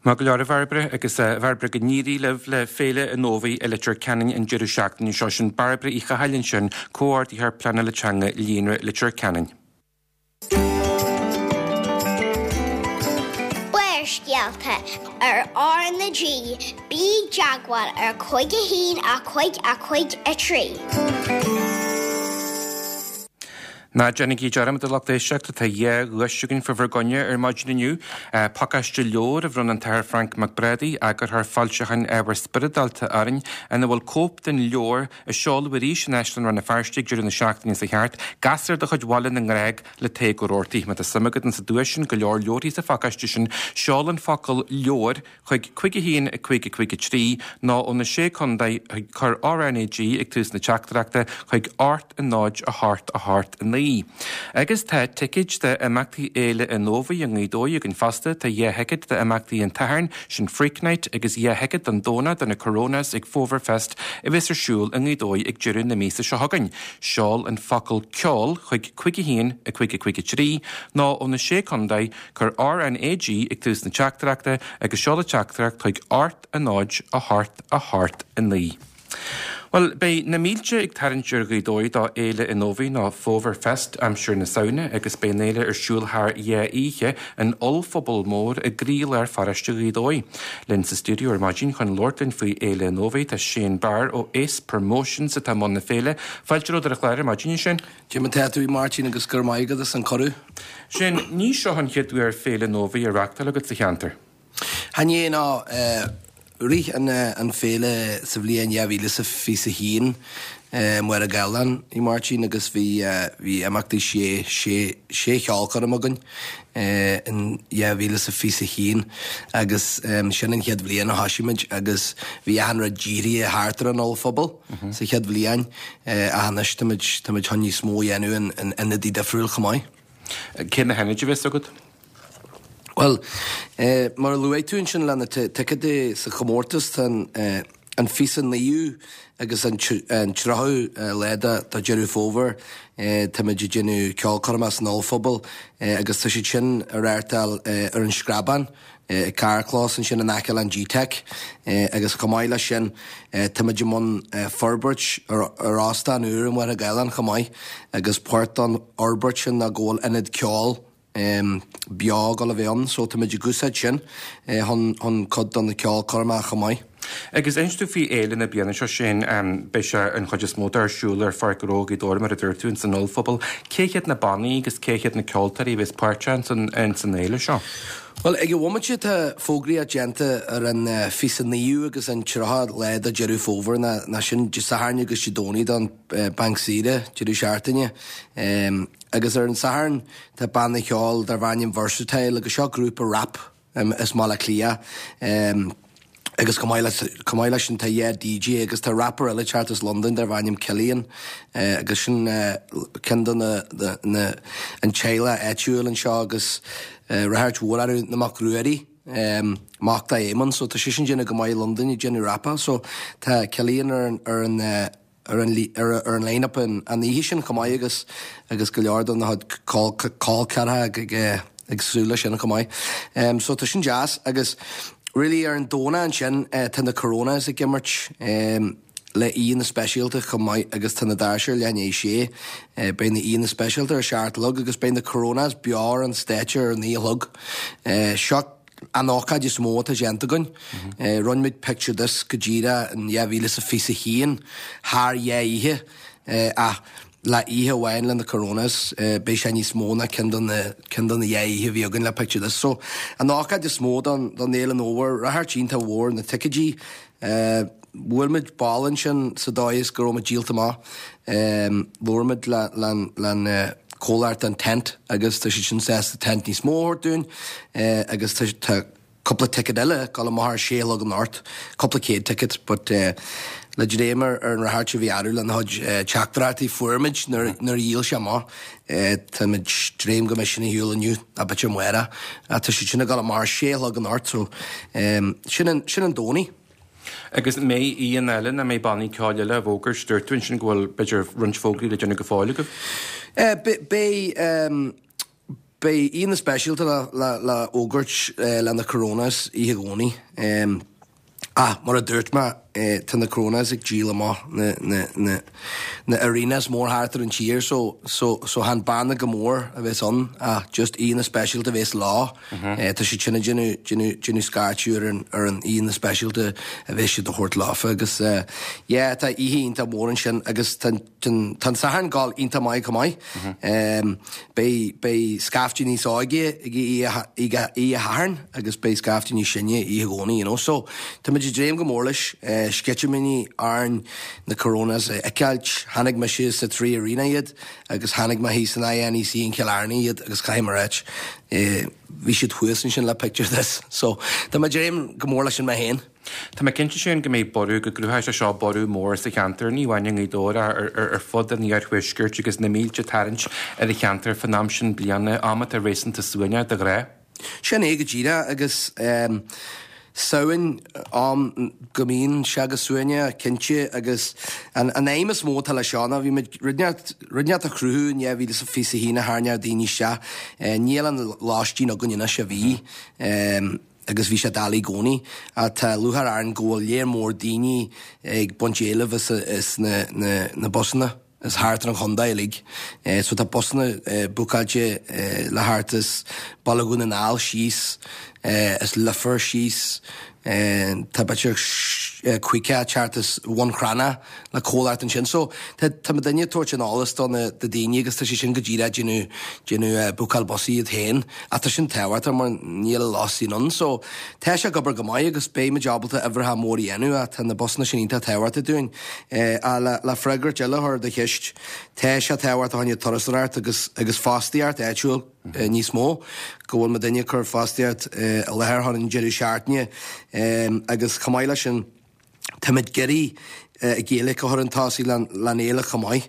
Maith go leor a Bhairbre, agus a Bhairbre go n-éirí libh le Féile an Fhómhair i Leitir Ceanainn an deireadh seachtaine seo. Sin Bairbre Uí Chathail ansin, Comhordaitheoir Pleanála Teanga Líonra Leitir Ceanainn. Barrscéalta ar R na G, bí i dteagmháil ar 5 1 5 5 3. Ná déanaigí dearmad a lucht éisteachta, tá dhá dhuais againn fá bhur gcoinne ar maidin inniu. Pacáiste leabhar a bhronn an tAthair Frainc Mac Brádaigh, eagarthóir foilseacháin ábhar spioradálta orainn, ina bhfuil cóip den leabhar a seoladh arís in Áislann Rann na Feirste ag deireadh na seachtaine seo thart, Gasúr de chuid Bhaile na nGrág le Tadhg Ó Rabhartaigh. Má tá suim agat insa duais sin, go leor leabharthaí sa phacáiste sin, seol an focal 'leabhar' chuig 51 5 5 3 nó ó na Sé Contae chuig cuir RnaG ag tús na teachtaireachta chuig 8 0 8 8 9. Agus tá ticéid d'imeachtaí Fhéile an Fhómhair i nGaoth Dobhair againn fosta. Tá 2 thicéad d'imeachtaí an tSathairn, sin Freak Night, agus 2 thicéad don Domhnach do na Coronas ag Fómhar Fest a bheas ar siúl i nGaoth Dobhair ag deireadh na míosa seo chugainn. Seol an focal 'ceol' chuig 51 5 5 3 nó ó na Sé Contae Cuir RnaG ag tús na teachtaireachta agus seol an teachtaireacht chuig 8 0 8 8 9. Bhuel, beidh na mílte ag tarraingt ar Ghaoth Dobhair do Fhéile an Fhómhair nó Fómhar Fest aimsir na Samhna agus beidh an fhéile ar siúl thar dhá oíche in ollphuball mór i gcroílár pharóiste Ghaoth Dobhair. Linn sa stiúideo ar maidin chun labhairt linn faoi Fhéile an Fhómhair tá Shane Barr ó Ace Promotions atá i mbun na féile. Fáilte romhat ar an chlár ar maidin, a Shane. Cad é mar tá tú, a Mháirtín, agus go raibh maith agat as an cuireadh. Shane, ní seo an chéad uair Féile an Fhómhair á reachtáil agat sa cheantar. Chan é, ná. Rith an féile sa bhliain 2021 i Machaire Gathlán, a Mháirtín, agus bhí bhí imeachtaí sé sé sé cheolchoirm againn in 2021 agus sin an chéad bhliain a thoisigh muid agus bhí achan rud dírithe thart ar an ollphuball sa chéad bhliain ach anois tá muid tá muid chun níos mó a dhéanamh in ionadaí difriúil chomh maith. Cé na hionaid a bheas agat? Bhuel, mar a luaigh tú ansin le na ticéadaí sa chomórtas, tá an 29ú agus an 30ú lá de Deireadh Fómhair, táimid ag déanamh ceolchoirmeacha san ollphuball agus tá siad sin á reáchtáil ar an Screabán, ag carrchlós ansin in aice le an G-Tech agus chomh maith leis sin táimid i mbun forbairt ar óstán úr i Machaire Gathlán chomh maith agus páirt den fhorbairt sin ná go bhfuil ionad ceoil beo ag dul a bheith ann so táimid ag úsáid sin chun chun cuid de na ceolchoirmeacha chomh maith. Agus inis dúinn faoi fhéile na bliana seo sin, beidh sé an chuid is mó de ar siúl ar Pháirc Ghnó Ghaoth Dobhair mar a dúirt tú, ins an ollphuball. Cé hiad na bannaí agus cé hiad na ceoltóirí a bheas páirteach ins an ins an fhéile seo? Bhuel, ag an bhomaite tá fógraíocht déanta ar an 29ú agus an 30 lá de Deireadh Fómhair, ná sin Dé Sathairn agus Dé Domhnaigh don banc saoire, deireadh seachtaine. Agus ar an Satharn tá banna ceoil darb ainm Versatile agus seo grúpa rap as mBaile Átha Cliath agus chomh maith le chomh maith leis sin tá dhá DJ agus tá rapper eile ag teacht as Londain darb ainm Killian agus sin ceann de na na an teaghlach áitiúil anseo agus ráchairt mhór orthu na Mac Ruairí mac do Éamonn so tá seisean déanamh go maith i Londain ag déanamh rapáil so tá Killian ar an ar an ar an ar an line-up an oíche sin chomh maith agus agus go leor de na col ceathracha ag súil leis sin chomh maith. So tá sin deas agus really ar an Domhnach ansin tá na Coronas ag imirt le aíonna speisialta chomh maith agus tá na doirse ar leath i ndiaidh a sé. Beidh na aíonna speisialta ar a seacht a chlog agus beidh na Coronas beo ar an stáitse ar a naoi a chlog. Seo an ócáid is mó atá déanta againn. Rinne muid Picture This go díreach in 2021 thar dhá oíche ach le oíche amháin le na Coronas beidh sé níos mó ná ceann de na ceann de na dhá oíche a bhí againn le Picture This. So an ócáid is mó don don Fhéile an Fhómhair, ráchairt iontach mhór na ticéidí. Bhuail muid ball ansin sa dóigh is go raibh muid díolta amach. Labhair muid le le an comhlacht an tent agus tá siad sin sásta tent níos mó a thabhairt dúinn agus tá tá cúpla ticket eile ag dul amach ar sé a chlog anocht, cúpla céad ticket but le dréim ar ar an ráchairt a bhí orthu lena chuid teachtaireachtaí fuair muid nuair nuair a dhíol sé amach tá muid dréim go mbeidh sin ar shiúl inniu nó b'fhéidir amárach ach tá siad sin ag dul amach ar sé a chlog anocht so sin an sin an Domhnach. Agus an mbeidh aíonna eile nó an mbeidh bannaí ceoil eile á bhfógairt? Dúirt tú ansin go bhfuil, b'fhéidir, roinnt fógraí le déanamh go fóill agaibh. Beidh, beidh aíonna speisialta le, le, le fhógairt le na Coronas oíche Dhomhnaigh. Ach, mar a dúirt mé, tá na Coronas ag díol amach na, na, na, na arenas mór thart ar an tír so, so, so chan banna go mór a bheas ann ach just aíonna speisialta a bheas leo. Tá siad sin ag déanamh, déanamh, déanamh scairteadh ar an, ar an aíonna speisialta a bheas siad a thabhairt leofa agus yeah tá oíche iontach mór ansin agus tá, tá an, tá an Satharn ag dul iontach maith chomh maith. Beidh, beidh scaifte níos óige ag oíche, oíche, oíche Shathairn agus beidh scaifte níos sine oíche Dhomhnaigh you know. So tá muid ag dréim go mór leis, sceitimíní orainn na Coronas a fheiceáilt. Chonaic mise sa Three Arena iad agus chonaic mé thíos san INEC in Cill Airne iad agus caithfidh mé a ráit, bhí siad thuas ansin le Picture This. So tá mé ag dréim go mór leis sin mé féin. Tá mé cinnte Shane go mbeidh borradh, go gcruthóidh sé seo borradh mór sa cheantar, ní amháin i nGaoth Dobhair ach ar fud an iarthuaiscirt agus na mílte ag tarraingt ar an cheantar fán am sin bliana, am atá réasúnta suaimhneach de ghnáth. Sin é go díreach agus Samhain, am go mbíonn sé go suaimhneach, cinnte, agus an aidhm is mó atá leis seo ná bhí muid rud inteacht a chruthú in 2021 a tharraingeodh daoine isteach. Níl an lóistín againn anois a bhí. Agus bhí sé doiligh i gcónaí. Ach tá lúcháir orainn go bhfuil léar mór daoine ag baint éilimh as na busanna as thart ar an chontae uilig. So tá busanna bookáilte le theacht as Baile Dhún na nGall síos, as Leifear síos, tá b'fhéidir 50 ag teacht as Bhun Cranncha le comhlacht ansin. So tá tá muidinne ag tabhairt an eolas do na do daoine agus tá sé sin go díreach ag déanamh déanamh bookáil busaí iad féin ach tá sin tábhachtach mar níl a lóistín ann. So tá sé ag obair go maith agus beidh muid ábalta uimhreacha mór a dhéanamh ach tá na busanna sin iontach tábhachtach dúinn. Ach le le freagairt eile a chur ar do cheist, tá sé tábhachtach fá choinne turasóireacht agus agus fostaíocht áitiúil níos mó, go bhfuil muidinne ag cur fostaíocht i láthair thar an deireadh seachtaine agus chomh maith leis sin, Táimid ag iarraidh Gaeilge a chur chun tosaigh leis an fhéile chomh maith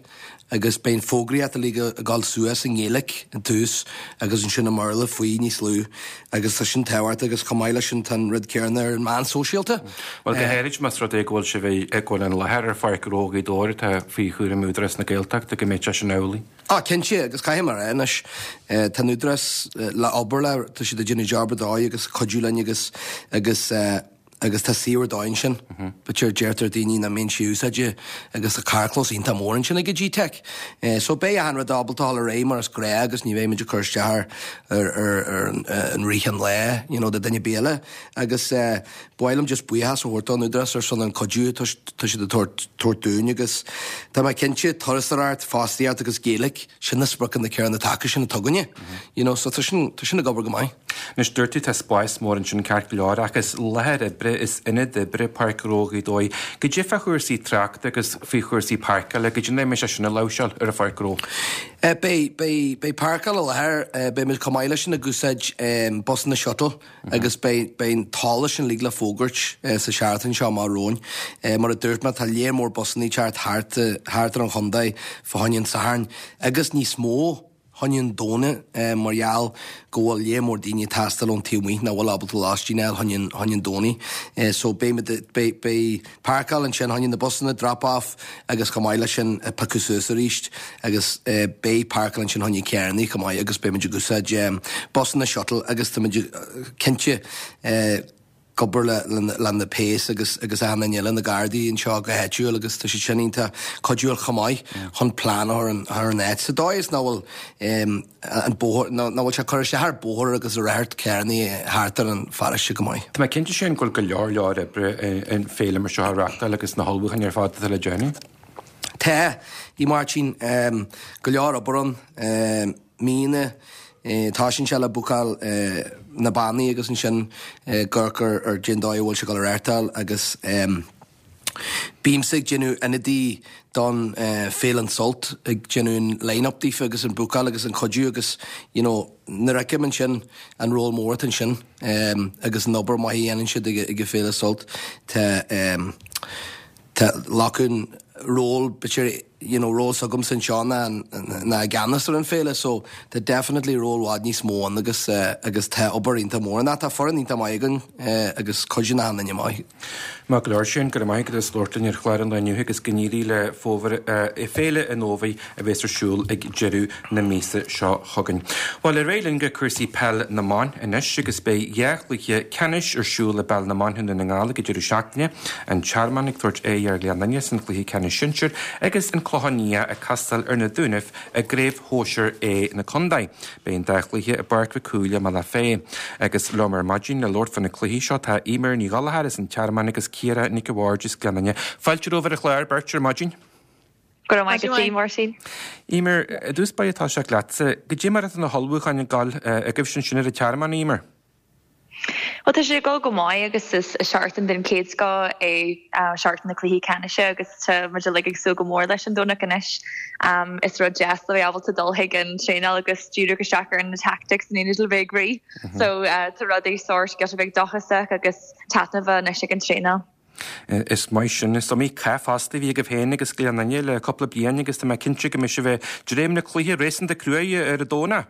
agus beidh an fógraíocht uilig ag dul suas i nGaeilge i dtús agus ansin i mBéarla faoi níos lú agus tá sin tábhachtach agus chomh maith leis sin tá an rud céanna ar an meán sóisialta. Bhuel go háirid más rud é go bhfuil sibh ag go bhfuil an láthair ar Pháirc Ghnó Ghaoth Dobhair atá faoi chúram Údarás na Gaeltachta go mbeidh sé sin amhlaidh. Ah cinnte agus caithfidh mé a rá anois tá an Údarás le obair le tá siad ag déanamh job ar dóigh agus cuidiú linn agus agus agus tá suíomh ar dóigh ansin. B'fhéidir deirtear daoine nach mbíonn sé úsáidte agus tá carrchlós iontach mór ansin ag GTeic. So beidh achan rud ábalta dul ar aghaidh mar is gnáth agus ní bheidh muid ag cur isteach ar ar ar an rith an lae you know do duine ar bith eile. Agus ba mhaith liom just buíochas a thabhairt don Údarás ar son an cuidiú atá siad ag tabhairt tabhairt dúinn agus tá mé cinnte turasóireacht, fostaíocht agus Gaeilge, sin na spriocanna céanna taca sin atá againne. You know so tá sin tá sin ag obair go maith. Anois, dúirt tú tá spás mór ansin ceart go leor ach is láthair oibre, is ionad oibre Páirc Ghnó Ghaoth Dobhair. Goidé fá chúrsaí tráchta agus faoi chúrsaí páirceála, goidé an dóigh a mbeidh sé sin á láimhseáil ar an Pháirc Ghnó? Beidh, beidh, beidh páirceáil i láthair, beidh muid chomh maith leis sin ag úsáid busanna shuttle agus beidh, beidh an t-eolas sin uilig le fógairt sa seachtain seo amach romhainn. Mar a dúirt mé, tá léar mór busanna ag teacht thart, thart ar an chontae fá choinne an tSathairn agus níos mó. choinne an Domhnaigh mar gheall go bhfuil léar mór daoine ag taisteal ón taobh amuigh nach bhfuil ábalta lóistín a fháil choinne choinne an Domhnaigh. So beidh muid beidh beidh páirceáil ansin choinne na busanna drop off agus chomh maith leis sin piocadh suas arís agus beidh páirceáil ansin choinne carrannaí chomh maith agus beidh muid ag úsáid busanna shuttle agus tá muid cinnte ag obair le na péas agus agus achan duine eile, na Gardaí anseo go háitiúil agus tá siad sin iontach cuidiúil chomh maith chun plean a chur ar an áit sa dóigh is nach bhfuil an bóthar, nach bhfuil sé ag cur isteach ar bóthar agus ar radharc carrannaí thart ar an pharóiste go maith. Tá mé cinnte sin go bhfuil go leor leor oibre in féile mar seo a reachtáil agus na hullmhúcháin ar fad atá le déanamh. Tá, a Mháirtín, go leor obair ann. Míonna. Toisíonn sé le bookáil na bannaí agus ansin ag amharc ar cén dóigh a bhfuil sé ag dul a reáchtáil agus bímse ag déanamh ionadaí don Féile an Sult ag déanamh an line up daofa agus an bookáil agus an cuidiú agus you know nuair a fheicim ansin an ról mór atá ansin agus an obair maith a dhéanann siad ag an Féile Sult tá Tá glacadh ról b'fhéidir you know ról s'agamsa anseo ná ná i gceannas ar an féile so tá definitely ról i bhfad níos mó ann agus agus tá obair iontach mór ann. Tá foireann iontach maith againn agus cuidíonn achan duine maith. Maith go leor Shane, go raibh maith agat as labhairt linn ar chlár an lae inniu agus go n-éirí le fómhar Féile an Fhómhair a bheas ar siúl ag deireadh na míosa seo chugainn. Bhuel, ar aghaidh linn go cúrsaí peil na mban anois agus beidh dhá chluiche ceannais ar siúl i bpeil na mban i nDún na nGall ag an deireadh seachtaine, An Tearmann ag tabhairt aghaidh ar Ghleann Fhinne san chluiche ceannais sinsir agus An Clochán Liath ag castáil ar na Dúnaibh i gCraobh Shóisir A na Contae. Beidh an dá chluiche i bPáirc Mhic Cumhaill i mBealach Féich. Agus liom ar maidin le labhairt fá na cluichí seo tá Eimear Ní Ghallchóir as an Tearmann agus Ciara Nic a' Bhaird as Gleann Fhinne. Fáilte romhaibh ar an chlár, beirt, ar maidin. Go raibh maith agat, a Mháirtín. Eimear, i dtús báire ag toiseacht leatsa, goidé mar atá na hullmhúcháin ag dul agaibhse ansin ar an Tearmann, Eimear? Bhuel, tá sé ag dul go maith agus is seachtain den chéad scoth é seachtain na cluichí ceannais agus tá muid uilig ag súil go mór leis an Domhnach anois. Is rud deas le bheith ábalta dul chuig an traenáil agus díriú isteach ar na tactics in éineacht le bheith ag rith. So tá rudaí sórt giota beag dóchasach agus taitneamh anois ag an traenáil. Is maith sin. Is iomaí cath fosta a bhí agaibh féin agus Gleann Fhinne le cúpla bliain agus tá mé cinnte go mbeidh sibh ag dréim le cluiche réasúnta cruaidh ar an Domhnach.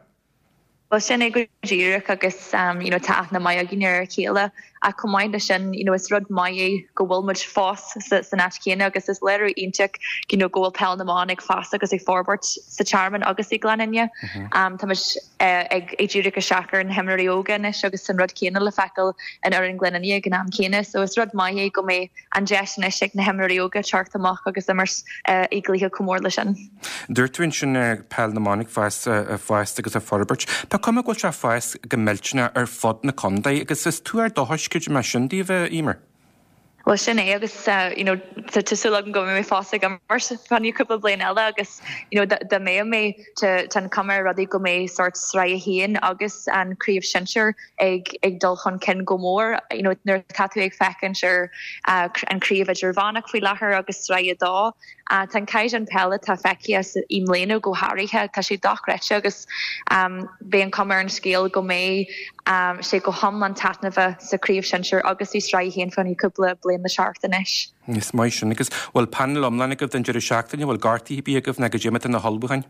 Bhuel sin é go díreach agus you know tá aithne maith againn ar a chéile. Ach chomh maith leis sin, you know, is rud maith é go bhfuil muid fós san áit chéanna agus is léiriú iontach, you know, go bhfuil peil na mban ag fás agus ag forbairt sa Tearmann agus i nGleann Fhinne. Tá muid ag díriú isteach ar na himreoirí óga anois agus an rud céanna le feiceáil in fhoireann Ghleann Fhinne ag an am céanna. So is rud maith é go mbeidh an deis anois ag na himreoirí óga teacht amach agus imirt i gcluiche chomh mór leis sin. Dúirt tú ansin peil na mban ag fás, fás agus ag forbairt. Tá cuma go bhfuil sé ag fás go millteanach ar fud na contae agus is tuar dóchais creidim é sin daoibh, a Eimear. Bhuel sin é agus you know tá súil agam go mbeidh mé fós ag imirt fá choinne cúpla bliain eile agus you know dá mbeadh mé tá an cuma ar rudaí go mbeidh sórt sraith a haon agus an craobh sinsir ag ag dul chun cinn go mór you know nuair atá tú ag féachaint ar an craobh idirmheánach faoi láthair agus sraith a dó Tá an caighdeán peile atá feicthe i mbliana go háirithe, tá sé dochreidte agus beidh an cuma ar an scéal go mbeidh sé go hiomlán taitneamhach sa chraobh shinsir agus i Sraith 1 fá choinne cúpla bliain le teacht anois. Is maith sin. Agus bhfuil painéal iomlán agaibh don deireadh seachtaine? Bhfuil gortuithe ar bith agaibh nó goidé mar atá na hullmhúcháin?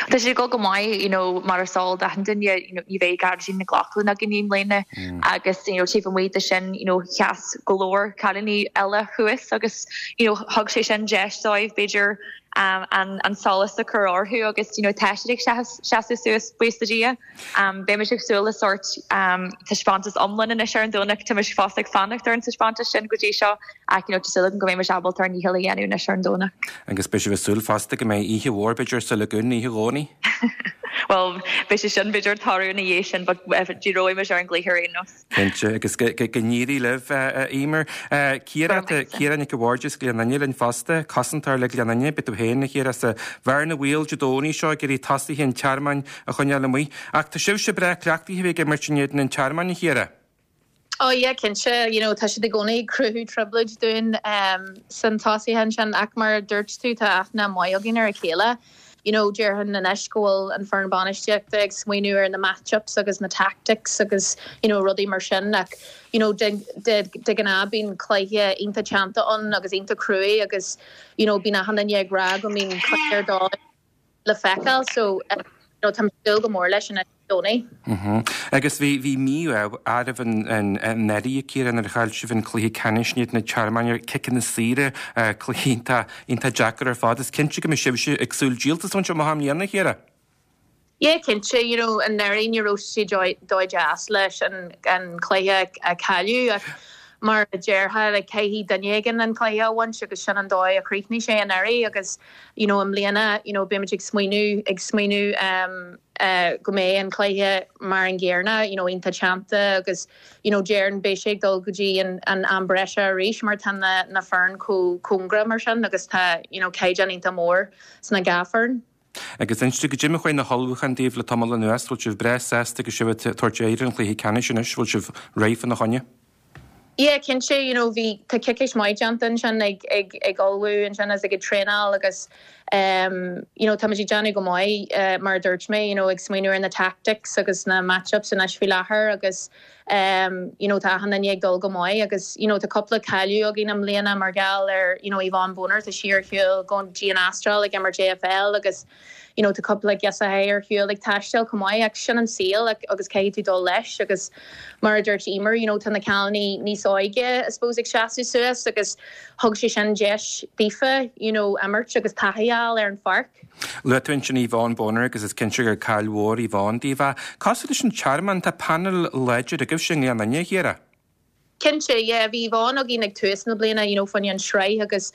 Tá sé ag dul go maith, you know, mar is eol d'achan duine, you know, ní bheidh Gearóidín Nic Lochlainn againn i mbliana agus, you know, taobh amuigh de sin, you know, sheas go leor cailíní eile thuas agus, you know, thug sé sin deis dóibh b'fhéidir an, an solas a chur orthu agus, you know, tá siad ag seasamh suas, buíochas le Dia. Beimid ag súil le sórt taispeántas iomlán anois ar an Domhnach. Tá muid fós ag fanacht ar an taispeántas sin go dtí seo ach you know tá súil agam go mbeidh muid ábalta ár ndícheall a dhéanamh anois ar an Domhnach. Agus beidh sibh ag súil fosta go mbeidh oíche mhór b'fhéidir sa Lagoon oíche Dhomhnaigh? Bhuel, beidh sé sin b'fhéidir ag tarlú ina dhiaidh sin but díreoidh muid ar an gcluiche ar aon nós. Cinnte, agus go n-éirí libh, a Eimear. Ciara, tá Ciara Nic a' Bhaird as Gleann Fhinne linn fosta, cosantóir le Gleann Fhinne. Beidh tú féin, a Chiara, sa bhearna bhaoil Dé Domhnaigh seo ag iarraidh tosaithe an Tearmainn a choinneáil amuigh. Ach tá sibhse breá cleachtaithe a bheith ag imirt in éadan an Tearmainn, a Chiara. Oh yeah, cinnte. You know, tá siad i gcónaí ag cruthú trioblóid dúinn san tosaithe ansin ach mar a dúirt tú, tá aithne maith againn ar a chéile. You know, déarfainn anois go bhfuil an foireann bainistíochta ag smaoineamh ar na match-ups agus na tactics agus you know rudaí mar sin ach you know de de de ghnáth bíonn cluiche iontach teannta ann agus iontach cruaidh agus you know bíonn achan duine ag rá go mbíonn cluiche ar dóigh le feiceáil so you know táim ag súil go mór leis an Domhnaigh. Agus bhí, bhí mí-ádh oraibh anuraidh, a Chiara, nuair a chaill sibh an cluiche ceannais in éadan an Tearmainn ar ciceanna saora, cluiche iontach, iontach deacair ar fad. Is cinnte go mbeidh sibhse ag súil díoltas a bhaint amach i mbliana, a Chiara. Yeah, cinnte, you know, anuraidh ní raibh sé dóigh deas leis an, an cluiche a cailleadh ach mar a déarfá, like, caithfidh duine éigin an cluiche a bhaint agus sin an dóigh a chríochnaigh sé anuraidh agus, you know, i mbliana, you know, beimid ag smaoineamh, ag smaoineamh, um, go mbeidh an cluiche mar an gcéanna, you know, iontach teannta agus, you know, déarfainn beidh sé ag dul go dtí an, an am breise arís mar tá na, na foireann chomh cóngarach mar sin agus tá, you know, caighdeán iontach mór sna dhá foireann. Agus inis dúinn goidé mar a chuaigh na hullmhúcháin daoibh le tamall anuas, bhfuil sibh breá sásta agus sibh ag tabhairt aghaidh ar an chluiche ceannais anois, bhfuil sibh réidh fána choinne? Yeah, cinnte, you know, bhí, tá coicís maith déanta ansin ag, ag, ag ullmhú ansin agus ag traenáil agus ehm, you know, táimid ag déanamh go maith, eh, mar a dúirt mé, you know, ag smaoineamh ar na tactics agus na match-ups anois faoi láthair agus ehm, you know, tá achan duine ag dul go maith agus, you know, tá cúpla cailleadh againn i mbliana mar gheall ar, you know, Yvonne Boner, tá sí ar shiúl go dtí an Astráil ag imirt AFL agus, you know tá cúpla girseacha ar shiúl ag taisteal chomh maith ach sin an saol agus caithfidh tú dul leis agus mar a dúirt Eimear you know tá na cailíní níos óige I suppose ag seasamh suas agus thug sé sin deis daofa you know imirt agus taithí a fháil ar an pháirc. Luaigh tú ansin Yvonne Boner agus is cinnte gur caill mhór Yvonne daoibh. Cosúil leis an Tearmann, tá painéal láidir agaibhse i nGleann Fhinne, a Chiara. Cinnte, yeah, bhí Yvonne againn ag tús na bliana, you know, fá choinne an sraith agus,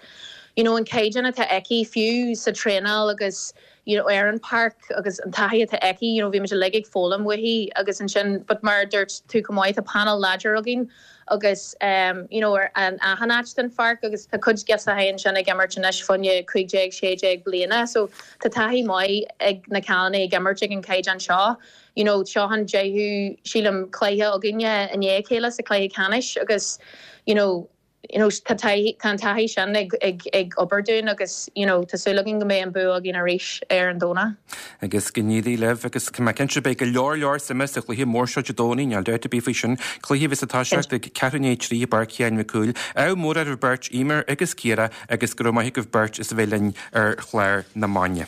you know, an caighdeán atá aici fiú sa traenáil agus, you know, ar an páirc agus an taithí atá aici, you know, bhí muid uilig ag foghlaim uaithi agus ansin, but mar a dúirt tú chomh maith, tá painéal láidir againn agus, um, you know, ar an achan áit den pháirc agus tá cuid girseachaí ansin ag imirt anois fá choinne 15, 16 bliana so tá taithí maith ag na cailíní ag imirt ag an caighdeán seo. you know seo an deichiú sílim cluiche againne i ndiaidh a chéile sa chluiche ceannais agus you know you know tá taithí tá an taithí sin ag ag ag obair dúinn agus you know tá súil againn go mbeidh an bua againn arís ar an Domhnach. Agus go n-éirí libh agus tá mé cinnte beidh go leor leor suime sa chluiche mór seo Dé Domhnaigh, níl dabht ar bith faoi sin. Cluiche a bheas ag toiseacht ag ceathrú i ndiaidh a 3 i bPáirc Sheáin Mhic Cumhaill. Ádh mór oraibh beirt, Eimear agus Ciara, agus go raibh maith agaibh beirt as a bheith linn ar chlár na maidine.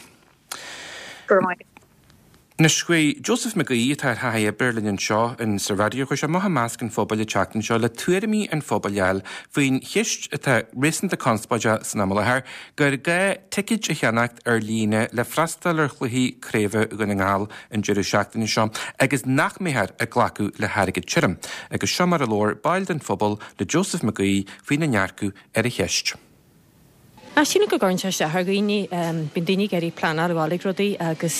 Go raibh maith. Anois, chuaigh Joseph McGee, atá ar thaithí oibre linn anseo in sa raidió, chuaigh sé amach i measc an phobail an tseachtain seo le tuairimí an phobail a fháil faoin cheist atá réasúnta conspóideach san am i láthair, gur gá ticéid a cheannacht ar líne le freastal ar chluichí craoibhe Dhún na nGall an deireadh seachtaine seo agus nach mbeifear ag glacadh le hairgead tirim. Agus seo mar a labhair baill den phobal le Joseph McGee faoina ndearcadh ar an cheist. Ach sílim go gcuireann sé isteach ar dhaoine. Bíonn daoine ag iarraidh pleanáil a ghabháil ag rudaí agus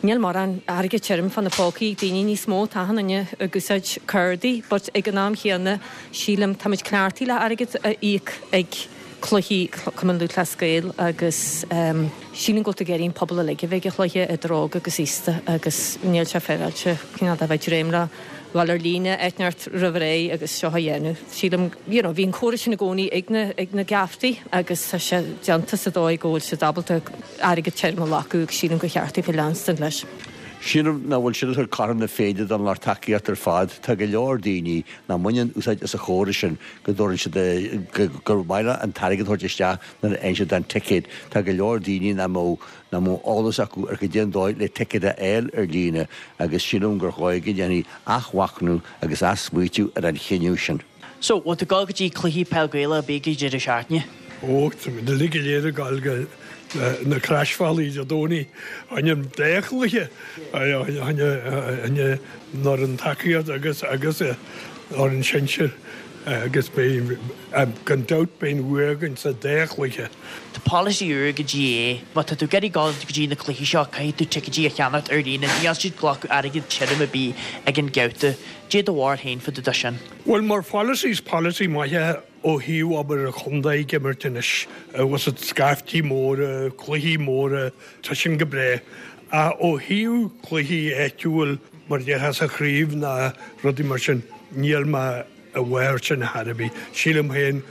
níl mórán airgead tirim fá na pócaí ag daoine níos mó. Tá achan duine ag úsáid cárdaí but ag an am chéanna sílim táimid cleachtaithe le airgead a íoc ag cluichí Cumann Lúthchleas Gael agus sílim go bhfuil tú ag iarraidh an pobal uilig a bheith ag an chluiche idir óg agus aosta agus níl sé féaráilte cineál de bheith ag dréim le dhul ar líne áit inteacht roimh ré agus seo a dhéanamh. Sílim, you know, bhí an córas sin i gcónaí ag na, ag na geaftaí agus tá sé déanta sa dóigh go bhfuil siad ábalta airgead tirim a ghlacadh agus sílim gur cheart daofa leanstan leis. Sílim nach bhfuil sin ag tabhairt cothrom na Féinne don lucht tacaíochta ar fad. Tá go leor daoine nach mbaineann úsáid as an chóras sin, go dtabharann siad, gur maith leo an t-airgead a thabhairt isteach nuair a fhaigheann siad an ticéad. Tá go leor daoine nach mbeadh nach mbeadh eolas acu ar cad é an dóigh le ticéad a fháil ar líne agus sílim gur chóir go ndéanfaí athmhachnamh agus athsmaoitiú ar an chinneadh sin. So, bhfuil tú ag dul go dtí cluichí peil Gaelach ar bith ag an deireadh seachtaine? Ó, tá muid uilig go léir ag dul go na Croisbhealaí Dé Domhnaigh, fá choinne an dá chluiche, fá choinne an fhoireann tacaíocht agus agus an fhoireann sinsir agus beidh, gan dabht beidh an bua againn sa dá chluiche. Tá polasaí úr ag an GAA, má tá tú ag iarraidh dul go dtí na cluichí seo caithfidh tú ticéidí a cheannacht ar líne, níl siad ag glacadh airgead tirim ar bith ag an gabhta. Cad é do bharúil féin fá dtaobh de sin? Bhuel mar pholasaí is polasaí maith é ó thaobh obair an chontae ag imirt anois, bhfuil fhios agat, scaifftí móra, cluichí móra, tá sin go breá. Ach ó thaobh cluichí áitiúil mar a déarfá sa chraobh ná rudaí mar sin, níl mé i bhfabhar sin ar chor ar bith. Sílim féin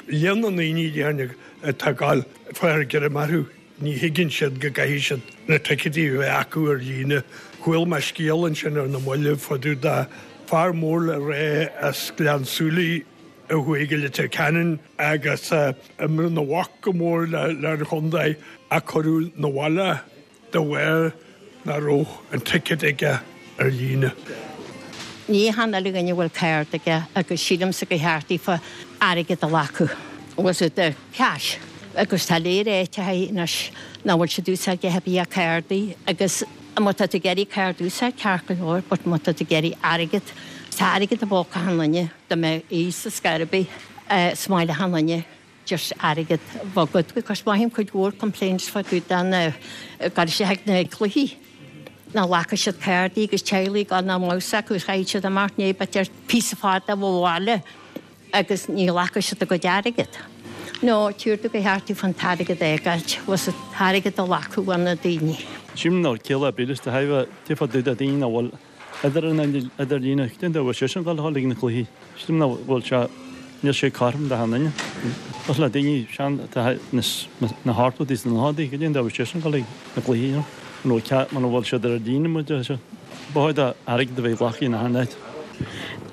Líon na ndaoine déarfainn atá ag gabháil fáil greim orthu, ní thuigeann siad go gcaithfidh siad na ticéidí a bheith acu ar líne. Chuala mé scéal ansin ar na mallaibh fá dtaobh de fear mór le rá as Gleann tSúilí a chuaigh go Leitir Ceanainn agus imreann a mhac go mór le an chontae ach cuireadh 'na bhaile de bharr nach raibh an ticéad aige ar líne. Ní achan uile dhuine a bhfuil cárta aige agus sílimse gur cheart daofa airgead a ghlacadh, was it the cash, agus tá léir áiteacha anois nach bhfuil siad úsáid a bith ach cártaí agus má tá tú ag iarraidh cárta a úsáid ceart go leor but má tá tú ag iarraidh airgead, tá airgead i bpóca achan duine, dá mbeadh fhios ar scor ar bith, is maith le achan duine. just airgead a bheith agat because mothaím cuid mhór complaints fá dtaobh de na gabh isteach ag na cluichí nach nglacfaidh siad cártaí agus teaghlaigh gan nach mbeadh fhios acu chaithfidh siad imeacht ní b'fhéidir píosa fada ó bhaile agus ní ghlacfaidh siad a gcuid airgead. No, tír do go cheart daofa an t-airgead a fhágáilt, was an t-airgead a ghlacadh ó na daoine. Sílim nach bhfuil ciall ar bith leis de thairbhe fá dtaobh de daoine nach bhfuil Idir an idirlíne, cén dóigh a bhfuil seisean ag dul ag na cluichí? Sílim nach bhfuil sé, níl sé cothrom d'achan duine. Cosúil le daoine sean atá sna hochtóidí is na nóchaidí, cad é an dóigh a bhfuil seisean ag dul ag na cluichí, you know? Muna bhfuil cead, muna bhfuil siad ar líne muid, ba chóir d'airgead a bheith glactha in achan áit.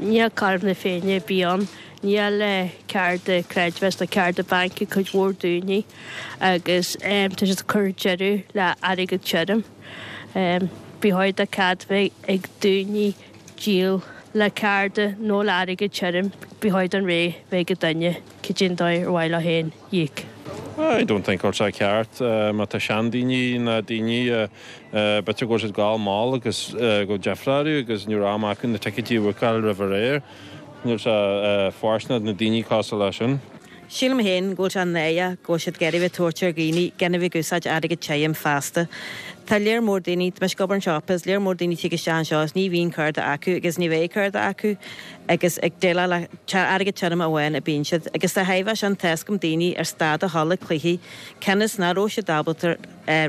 Níl cothrom na Féinne ar bith ann. Níl cárta creidmheasa nó cárta bainc ag cuid mhór daoine agus tá siad ag cur deireadh le airgead tirim. Ba chóir do cead bheith ag daoine díol le cárta nó le airgead tirim. Ba chóir don rogha bheith ag an duine cad é an dóigh ar mhaith leo féin íoc. I don't think go bhfuil sé ceart má tá seandaoine nó daoine b'fhéidir go bhfuil siad ag gabháil mall agus go bhfuil deifre orthu agus ní raibh am acu na ticéidí a bhookáil roimh ré. Níl sé fóirsteanach do na daoine cosúil leis sin. Sílim féin go bhfuil sé náireach go bhfuil siad ag iarraidh bheith tabhairt ar dhaoine gan a bheith ag úsáid airgead tirim feasta. Tá léar mór daoine, tá mise ag obair anseo is léar mór daoine tig isteach anseo is ní bhíonn cárta acu agus ní bheidh cárta acu agus ag déileáil le airgead tirim amháin a bíonn siad. Agus de thairbhe sin tá 'fhios agam daoine ar stad a dhul ag cluichí cionn is nach raibh siad ábalta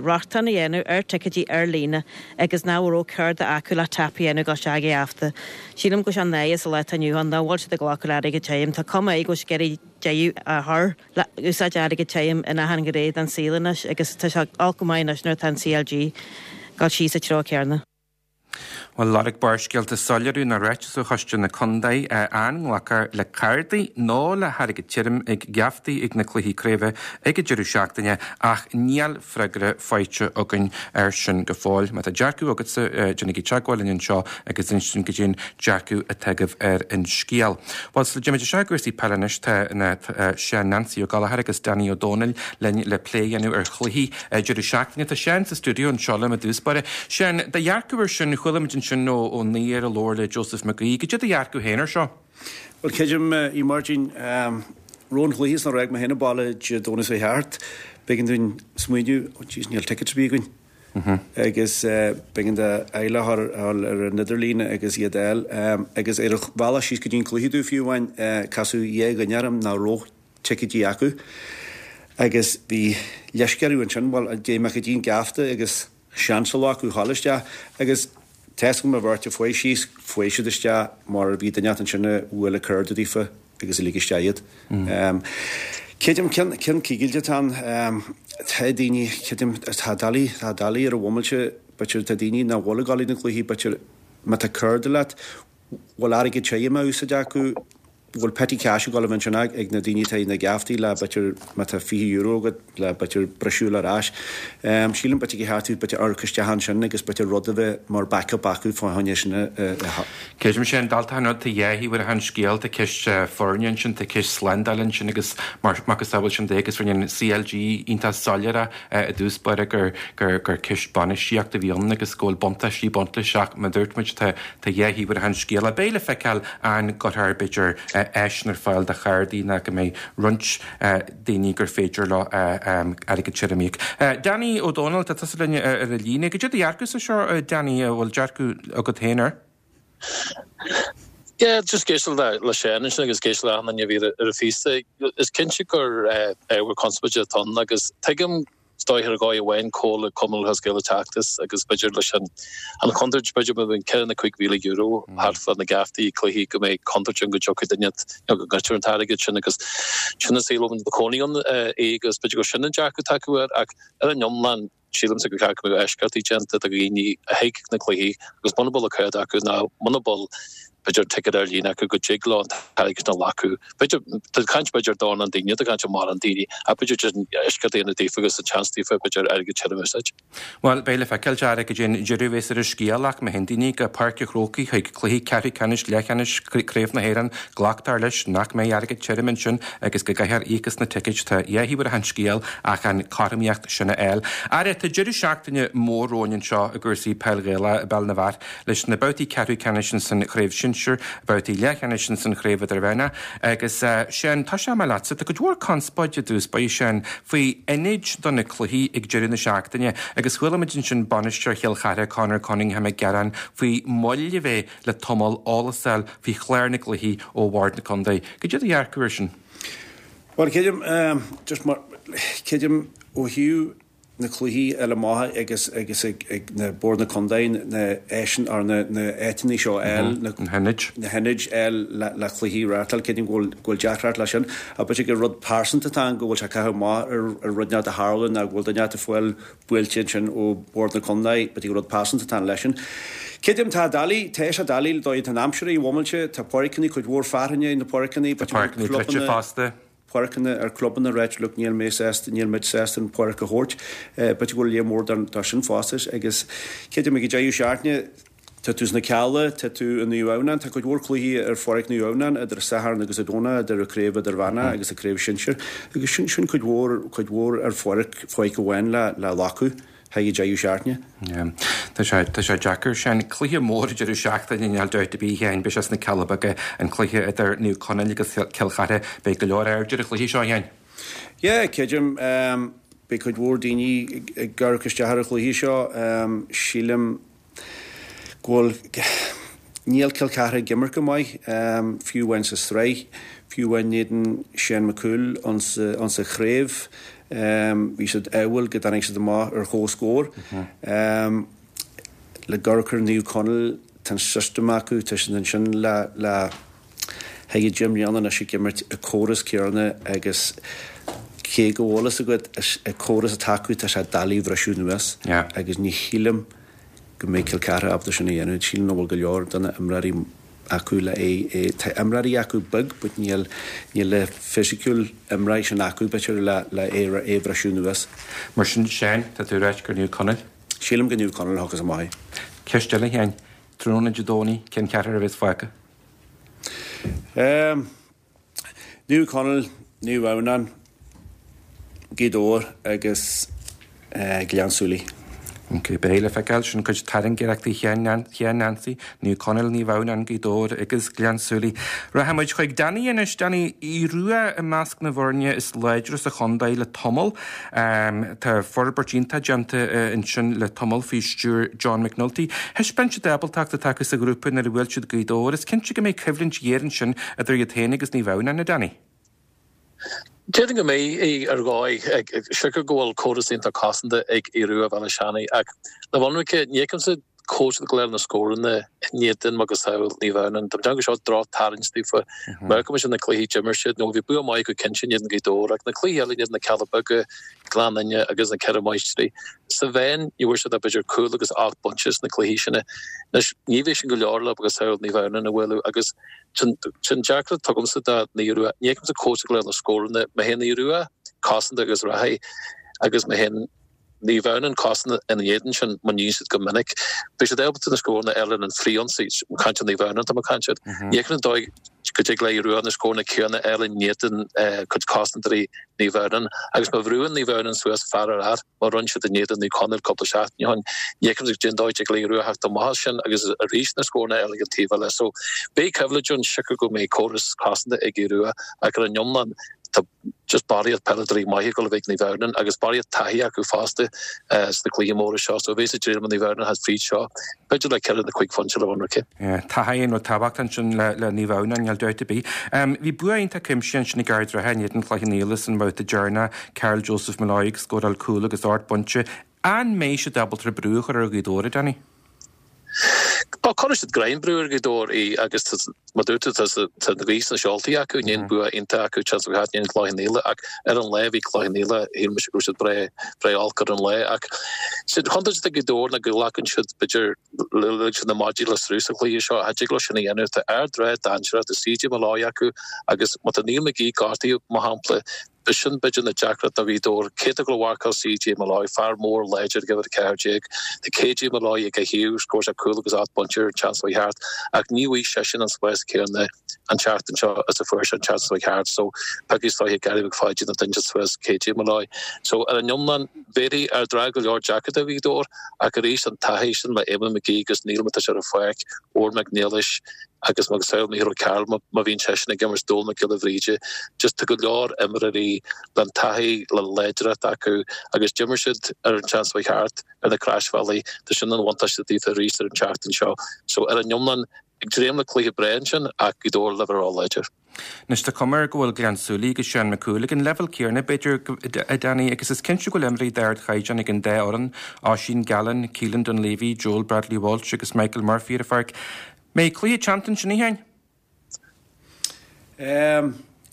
rochtain a dhéanamh ar ticéidí ar líne agus nach raibh cárta acu le tap a dhéanamh dul isteach ag an gheafta. Sílim go bhfuil sé náireach sa lá atá inniu ann nach bhfuil siad ag glacadh le airgead tirim. Tá cuma air go bhfuil siad ag iarraidh deireadh a chur le úsáid airgead tirim in achan ghné den saol anois agus tá sé olc go maith anois nuair atá an CLG ag dul síos sa treo céarna. Bhuel, lorg Barrscéalta soiléiriú nó ráiteas ó Choiste na Contae an nglacfar le cártaí nó le hairgead tirim ag geaftaí ag na cluichí craoibhe ag an deireadh seachtaine ach níl freagra faighte againn air sin go fóill. Má tá dearcadh agatsa, déanaigí teagmháil linn anseo agus inis dúinn goidé an dearcadh atá agaibh ar an scéal. Bhuel, sula dtéimid isteach i gcúrsaí peile anois, tá Seán Nancy Ó Gallchóir agus Danny Ó Dónaill linn le plé a dhéanamh ar chluichí deireadh seachtaine. Tá Seán sa stiúideo anseo liom i dtús báire. Seán, do dhearcadh ar sin, chuala muid ansin ó ón aoí ar a labhair le Joseph McGee. Goidé do dhearcadh féin ar seo? Bhuel, creidim, a Mháirtín, roimh an chluiche is nuair a d'fhág mé féin an baile Dé Domhnaigh seo thart, b'éigean dúinn smaoineamh, oh jeez, níl tickets ar bith againn. Agus b'éigean d'fhile a chur ar an idirlíon agus iad a fháil. Agus ar an bhealach síos go dtí an cluiche domh fiú amháin, casadh dhá dhuine orm nach raibh ticéidí acu agus bhí leisce orthu ansin, bhuel, an dtéigh mé go dtí an geafta agus seans a ghlacadh a ghabháil isteach agus tá a fhios agam an bheirt a fuaigh síos, fuaigh siad isteach mar bhí duine inteacht ansin a bhuail an cárta daofa agus a lig isteach iad. Creidim, ceann, ceann cigilte atá ann, tá daoine, creidim, tá doiligh, tá doiligh ar an bhomaite, b'fhéidir tá daoine nach bhfuil ag dul ag na cluichí, b'fhéidir má tá cárta leat, bhfuil airgead tirim á úsáid acu, bhfuil petty cash ag dul a bheith ansin ag na daoine atá ag na geaftaí le b'fhéidir má tá €20 agat le b'fhéidir briseadh ar ais. Sílim b'fhéidir gur cheart b'fhéidir amharc isteach ansin agus b'fhéidir rud a bheith mar backup acu fá choinne sin a Creidim sin, dalta an rud, tá dhá thaobh ar an scéal, tá ceist foirne ansin, tá ceist slándála ansin agus mar macasamhail sin de agus rinne an CLG iontach soiléir i dtús báire gur gur ceist bainistíochta a bhí ann agus go bhfuil buntáistí ag baint leis ach mar a dúirt muid tá Tá dhá thaobh ar an scéal. Beidh le feiceáil an gcuirfear, b'fhéidir, áiseanna ar fáil do chártaí nó go mbeidh roinnt daoine gur féidir leo airgead tirim a íoc. Danny Ó Dónaill, tá tusa linn ar an líne. Goidé do dhearcadh-sa seo, Danny, an bhfuil dearcadh agat féin air? Yeah, just ag éisteacht le Seán ansin agus ag éisteacht le achan duine a bhí ar an phíosa. Is cinnte gur ábhar conspóide atá ann agus tuigim Is dóigh ar dhóigh amháin cá bhfuil Cumann Lúthchleas Gael ag teacht as agus b'fhéidir leis an an chontúirt b'fhéidir má bhíonn 4 nó €5,000 thart fá na geaftaí cluichí go mbeidh contúirt ann go dtiocfaidh duine nó go ngoidtear an t-airgead sin agus sin an saol a bhfuil na cónaí ann agus b'fhéidir gur sin an dearcadh atá acu air ach ar an iomlán sílimse gur cheart go mbeadh eisceachtaí déanta do dhaoine a thig na cluichí agus muna bhfuil an cárta acu ná muna bhfuil b'fhéidir ticéad ar líne acu go dtig leo an t-airgead sin a ghlacadh. B'fhéidir, tá caint b'fhéidir dornán daoine, tá caint ar mórán daoine, ach b'fhéidir just eisceacht a dhéanamh daofa agus an seans daofa b'fhéidir airgead tirim a úsáid. Bhuel, beidh le feiceáil, Dara, goidé an deireadh a bheas ar an scéal ach má théann daoine go Páirc an Chrócaigh chuig cluichí ceathrú ceannais, leathcheannais Craobh na hÉireann, glactar leis nach mbeidh airgead tirim ansin agus go gcaithfear íoc as na ticéid. Tá dhá thaobh ar an scéal ach an cothromaíocht sin a fháil. Ara, tá deireadh seachtaine mór romhainn anseo i gcúrsaí peil Ghaelach i bPeil na bhFear. leis na babhtaí ceathrú ceannais ins an Chraobh Shinsir, babhtaí leathcheannais ins an Chraobh Idirmheánach agus Seán, tosóidh mé leatsa, tá cuid mhór conspóide i dtús báire Seán faoi ionaid do na cluichí ag deireadh na seachtaine agus chuala muid ansin bainisteoir Chill Chartha Conor Cunningham ag gearán faoi mhoill a bheith le tamall eolas a fháil faoi chlár na gcluichí ó Bhord na Contae. Goidé do dhearcadh air sin? Bhuel, creidim, just mar, creidim ó thaobh na cluichí eile amach agus agus ag ag na Bord na Contae na áiseanna or na na áiteanna seo a fháil na na hionaid. na hionaid a fháil le le cluichí a reáchtáil creidim go bhfuil go bhfuil deacracht leis sin ach b'fhéidir gur rud pearsanta atá ann go bhfuil sé ag caitheamh amach ar ar rud inteacht a tharla nó go bhfuil duine inteacht ag fáil buailte ansin ó Bhord na Contae b'fhéidir gur rud pearsanta atá ann leis sin. Creidim tá doiligh tá sé doiligh le dóigh atá an aimsir i bhomaite tá páirceanna cuid mhór fearthainne na páirceanna Tá páirceanna druidte fosta. páirceanna ar clubanna ag ráit look níl mé sásta, níl muid sásta an pháirc a thabhairt. B'fhéidir go bhfuil léar mór dó sin fosta agus creidim ag an deireadh seachtaine tá tú sna Cealla, tá tú i Naomh Adhamhnáin, tá cuid mhór cluichí ar pháirc Naomh Adhamhnáin idir an Satharn agus an Domhnach idir an Craobh Idirmheánach agus an Craobh Shinsir agus sin sin cuid mhór cuid mhór ar pháirc pháirc amháin le le glacadh. haghaidh an deireadh seachtaine. Yeah. Tá sé, tá sé deacair sin. Cluiche mór deireadh seachtaine, níl dabht ar bith a Sheáin, beidh sé sna Cealla Beaga, an cluiche idir Naomh Conaill agus Cill Chartha. Beidh go leor aird ar an chluiche seo, a Sheáin. Yeah, creidim. Beidh cuid mhór daoine ag amharc isteach ar an chluiche seo. Sílim go bhfuil, níl Cill Chartha ag imirt go maith, fiú amháin sa sraith, fiú amháin in éadan Shane McCool insa chraobh, bhí siad ádhúil go dtáinig siad amach ar chomhscór. Le amharc ar Naomh Conaill, tá an system acu, tá siad ansin le le haghaidh 10 mbliana anois ag imirt an córas céanna agus cé go bhfuil fhios agat an córas atá acu tá sé doiligh a bhriseadh anuas agus ní shílim. go mbeidh Cill Chartha ábalta sin a dhéanamh. Sílim nach bhfuil go leor de na imreoirí acu le é é tá imreoirí acu beag but níl níl na fisiciúil imreoirí sin acu b'fhéidir le le é é a bhriseadh anuas. Mar sin Seán, tá tú ag ráit gur Naomh Conaill? Sílim gur Naomh Conaill a thiocfas amach é. Ceist eile a Sheáin, tráthnóna Dé Domhnaigh, cén ceathrar a bheas fágtha? Ehm. Naomh Conaill, Naomh Adhamhnáin, Gaoth Dobhair agus Gleann tSúilí. Ok, beidh le feiceáil. Sin cuid tairngreachtaí Sheáin Nancy, Naomh Conaill, Naomh Adhamhnáin, Gaoth Dobhair agus Gleann tSúilí. Rachaidh muid chuig Danny anois. Danny, Aodh Rua i measc na bhfoirne is láidre sa chontae le tamall. Tá forbairt iontach déanta ansin le tamall faoi stiúir John McNulty. Thaispeáin siad ábaltacht atá acu sa ghrúpa nuair a bhuail siad Gaoth Dobhair. Is cinnte go mbeidh coimhlint ghéar ansin idir iad féin agus Naomh Adhamhnáin, a Danny. Déarfainn go mbeidh ar dhóigh, siocair go bhfuil córas iontach cosanta ag Aodh Rua Bhéal Átha Seanaidh ach le bheith ionraic, ní fheicimse cá bhfuil siad ag goil a fháil na scóranna in éadan macasamhail Naomh Adhamhnáin. Tá mé ag déanamh go seo droch-tarraingt daofa. Má amharcann muid ar na cluichí d'imir siad, nó bhí bua maith acu cinnte in éadan Gaoth Dobhair ach na cluichí eile in éadan na Cealla Beaga, Gleann Fhinne agus na Ceithre Máistrí. Sa mheán ní bhfuair siad ach b'fhéidir cúl agus 8 bpointe sna cluichí sin. Anois ní bheidh sin go leor le macasamhail Naomh Adhamhnáin a bhualadh agus sin deacracht atá agamsa do Naomh Rua. Ní fheicimse cá bhfuil siad ag goil a fháil na scóranna. Má théann Aodh Rua cosanta agus rachaidh agus má théann Naomh Adhamhnáin cosanta ina éadan sin, mar a dhéanann siad go minic. Beidh siad ábalta na scóranna a fháil ar an frithionsaí, ag caint ar Naomh Adhamhnáin atá mé ag caint air. Ní fheicim an dóigh go dtig le Aodh Rua na scóranna céanna a fháil in éadan cuid cosantóirí Naomh Adhamhnáin. Agus má bhrúann Naomh Adhamhnáin suas fear ar fhear, mar a rinne siad in éadan Naomh Conaill cúpla seachtain ó shin, ní fheicim cén dóigh a dtig le Aodh Rua theacht amach as sin agus arís na scóranna a fháil ag an taobh eile. So beidh coimhlint ann, siocair go mbeidh córas cosanta ag Aodh Rua ach ar an iomlán tá just barraíocht peileadóirí maithe ag dul a bheith ag Naomh Adhamhnáin agus barraíocht taithí acu fosta sna cluichí móra seo so bheas ag dréim Naomh Adhamhnáin theacht fríd seo b'fhéidir le ceithre nó cuig phointe le bheith ionraic. Taithí an rud tábhachtach ansin le Naomh Adhamhnáin, níl dabht ar bith. Bhí bua iontach cuimsitheach ansin ag Ard an Rátha in éadan Chloich Cheann Fhaola san mbabhta deireanach, Karl Joseph Molloy ag scóráil cúl agus ocht bpointe. An mbeidh siad ábalta brú a chur ar Ghaoth Dobhair, a Danny? Bhuel, cuirfidh siad greim brú ar Ghaoth Dobhair í agus mar dúirt tú tá na gaoth sna seoltaí acu, i ndiaidh an bua iontach acu an tseachtain seo caite in éadan Cloich Cheann Fhaola ach ar an lá bhí Cloich Cheann Fhaola, shíl mise go raibh siad breá breá olc ar an lá ach sé an chontúirt atá ag Gaoth Dobhair ná go nglacann siad b'fhéidir lig siad na maidí le sruth sa chluiche seo, cha dtig leo sin a dhéanamh. Tá Ard an Rátha dainséarach, tá CJ Molloy acu agus má tá Neil McGee gortaithe mar shampla, B'shin b'fhéidir na deacracht do Ghaoth Dobhair. Cé atá ag gabháil a mharcáil CJ Molloy, fear mór láidir ag uimhir 14. Tá KJ Molloy ag a thaobh, scór sé cúl agus 8 bpointe ar an tseachtain seo thart, ach ní bhfaighidh seisean an spás céanna an tseachtain seo is a fuair sé an tseachtain seo thart. So, piocfaidh is dóiche Gary McPhaidín an duine suas KJ Molloy. So, ar an iomlán, bhéarfaidh Ard an Rátha go leor deacracht do Ghaoth Dobhair, ach arís an taithí sin le Eamon McGee agus Neil má tá sé ar an pháirc, Odhrán Mac Niallais, agus macasamhail Mícheál O'Carroll má bhíonn seisean ag imirt, Dónal Mac Giolla Bhríde, just tá go leor imreoirí le taithí, le láidreacht acu agus d'imir siad ar an tseachtain seo thart ar na Croisbhealaí, tá sin an bhuntáiste daofa arís ar an tseachtain seo. So ar an iomlán, ag dréim le cluiche breá ansin ach Gaoth Dobhair le bheith ró-láidir. Anois tá cuma air go bhfuil Gleann tSúilí agus Seán Mac Cumhaill ag an leibhéal céanna, b'fhéidir, a Danny, agus is cinnte go bhfuil imreoirí d'ardchaighdeán ag an dá fhoireann, Oisín Gallen, Keelan Dunleavy, Joel Bradley Walsh agus Michael Murphy ar an pháirc. Mbeidh cluiche teannta ansin, a Sheáin?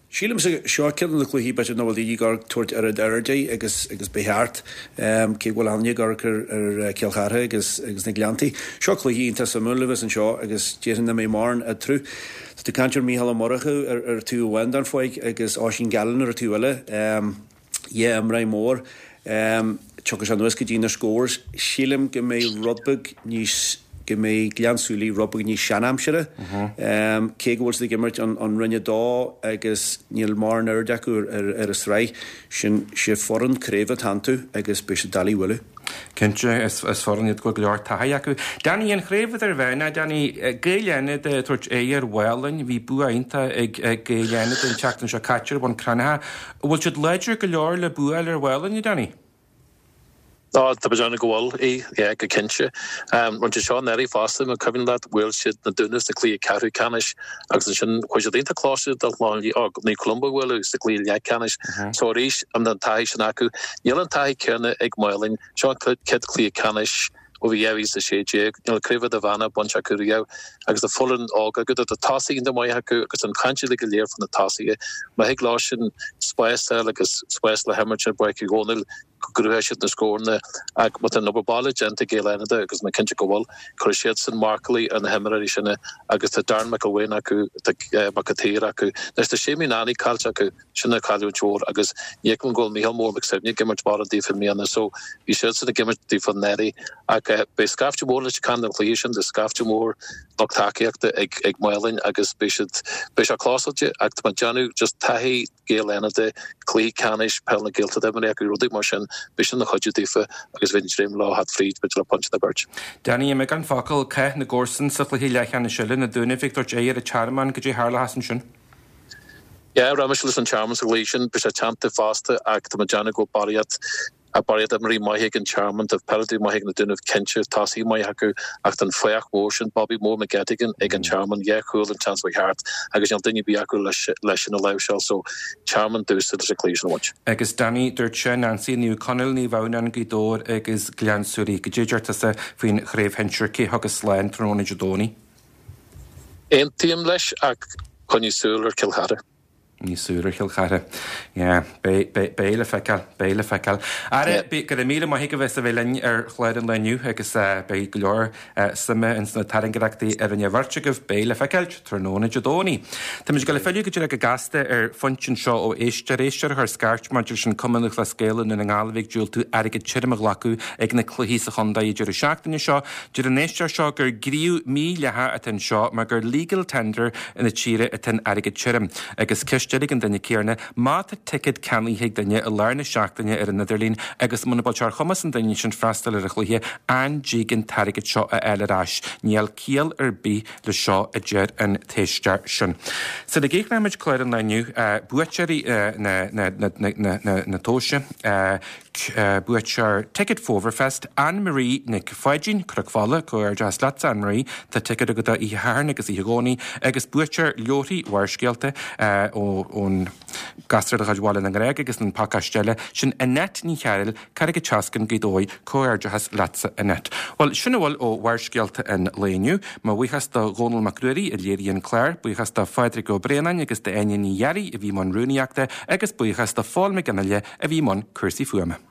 Sílimse seo ceann de na cluichí b'fhéidir nach bhfuil daoine ag tabhairt oiread aird air agus agus ba cheart, cé go bhfuil aithne ag amharc ar ar Cill Chartha agus agus na Gleanntaí. Seo cluiche iontach suimiúil a bheas anseo agus déarfainn nach mbeidh mórán eatarthu. Tá tú ag caint ar Mícheál Ó Murchú ar ar taobh amháin den pháirc agus Oisín Gallen ar an taobh eile. Dhá imreoir mór. Tiocfaidh sé anuas go dtí na scores. Sílim go mbeidh rud beag níos, go mbeidh Gleann tSúilí rud beag níos seanaimsire. Cé go bhfuil siad ag imirt an Roinn 2 agus níl mórán aird acu ar an sraith, sin, sé foireann craoibhe atá iontu agus beidh siad doiligh a bhualadh. Cinnte, is foireann iad go bhfuil go leor taithí acu. Danny, an chraobh idirmheánach, Danny, Gaeil Fhánada ag tabhairt aghaidh ar Mhálainn, bhí bua iontach ag Gaeil Fhánada an tseachtain seo caite ar Bhun Cranncha. An bhfuil siad láidir go leor le bua a fháil ar Mhálainn, a Danny? Ó, tá mé ag déanamh go bhfuil, í, yeah, go cinnte. Rinne siad seo anuraidh fosta, más cuimhin leat, bhuail siad na Dúnaibh sa cluiche ceathrú ceannais agus ansin chuaigh siad iontach close do Naomh Columba a bhualadh sa gcluiche leathcheannais. So arís, an taithí sin acu. Níl an taithí céanna ag Málainn. Seo an chéad cluiche ceannais ó bhí 2016. Níl craobh idirmheánach bainte acu riamh agus tá foireann óg acu. Tá tosaithe iontach maith acu agus an chaint uilig go léir faoi na tosaithe. Má thig leo sin spás a fháil agus spás le himirt ar Pháirc Uí Dhónaill. go gcruthóidh siad na scóranna ach má tá an obair baile déanta ag Gaeil Fhánada agus tá mé cinnte go bhfuil, cuirfidh siadsan marcálaí ar na himreoirí sin agus tá Darren McElwain acu, tá Mac an tSaoir acu. Anois tá Séimí Nanny caillte acu, sin cailliúint mhór agus ní fheicim go bhfuil Mícheál Mór Mac Suibhne ag imirt mórán daofa i mbliana so bhí siadsan ag imirt daofa anuraidh ach beidh scaifte mór Leitir Ceanainn don chluiche sin, tá scaifte mór lucht tacaíochta ag ag Maigh Léan agus beidh siad, beidh sé clósáilte ach tá mé ag déanamh just taithí Gaeil Fhánada, cluiche ceannais Peil na Gaeltachta imeartha acu, rudaí mar sin, beidh sin ina chuidiú daofa agus bheinn ag dréim leo theacht fríd, b'fhéidir le pointe nó beirt. Danny, i mbeagán focal, cath na gcomharsan sa chluiche leathcheannais eile, na Dúnaibh ag tabhairt aghaidh ar an Tearmann, goidé a tharlóchas ansin? Yeah, rachaidh mise leis an Tearmann sa gcluiche sin, beidh sé teannta fosta ach tá mé ag déanamh go bhfuil barraíocht Tá barraíocht imreoirí maithe ag an Tearmann, tá peileadóirí maithe ag na Dúnaibh cinnte, tosaithe maithe acu ach tá an fathach mór sin, Bobby Mór McGettigan, ag an Tearmann, dhá chúl an tseachtain seo thart agus níl duine ar bith acu leis sin a láimhseáil so Tearmann domhsa leis an cluiche sin a bhaint. Agus Danny, dúirt sé, Nancy, Naomh Conaill, Naomh Adhamhnáin, Gaoth Dobhair agus Gleann tSúilí. Goidé a deir tusa faoin chraobh shinsir, cé thiocfas slán tráthnóna Dé Domhnaigh? Aontaím leis ach coinnigh súil ar Chill Chartha. Coinnigh súil ar Chill Chartha. Yeah. Beidh, beidh, beidh le feiceáil. Beidh le feiceáil. Ara, yeah. go raibh míle maith agat as a bheith linn ar chlár an lae inniu agus eh, beidh go leor eh, suime ins na tairngreachtaí a rinne an bheirt agaibh. Beidh le feiceáil tráthnóna Dé Domhnaigh. Táimid ag dul ag filleadh go díreach go gasta ar phointe anseo ó éisteoir, éisteoir a chuir scairt maidir leis an Cumann Lúthchleas Gael i nDún na nGall a bhí ag diúltú airgead tirim a ghlacadh ag na cluichí sa chontae an deireadh seachtaine seo. Deir an éisteoir seo gur gníomh mídhleathach atá anseo mar gur legal tender na tíre atá in airgead tirim. Agus ceist eile ag an duine céarna, má tá ticéad ceannaithe ag duine i lár na seachtaine ar an idirlíon agus muna bhfuil sé ar chumas an duine sin freastal ar an chluiche, an dtig an t-airgead seo a fháil ar ais? Níl ciall ar bith le seo, a deir an t-éisteoir sin. Sula gcríochnóimid clár an lae inniu, buaiteoirí na tomhaise, Buaiteoir Ticket Fómhairfest, Anne Marie Nic Pháidín, Cnoc Fola, Comhghairdeas leatsa Anne Marie, tá ticéad agat do Oíche Shathairn agus Oíche Dhomhnaigh agus buaiteoir leabharthaí Bharrscéalta ón Gasra de chuid Bhaile na nGrág agus an pacáiste eile, sin Annette Ní Chearúil, Carraig an tSeascainn, Gaoth Dobhair, Comhghairdeachas leatsa Annette. Bhuel, sin a bhfuil ó Bharrscéalta an lae inniu. Mo bhuíochas do Dhónal Mac Ruairí a léirigh an clár, buíochas do Phádraig Ó Braonáin agus d'Áine Ní Ghearraigh a bhí i mbun rúnaíochta agus buíochas do Phól Mac Fhionnghaile a bhí i mbun cúrsaí fuaime.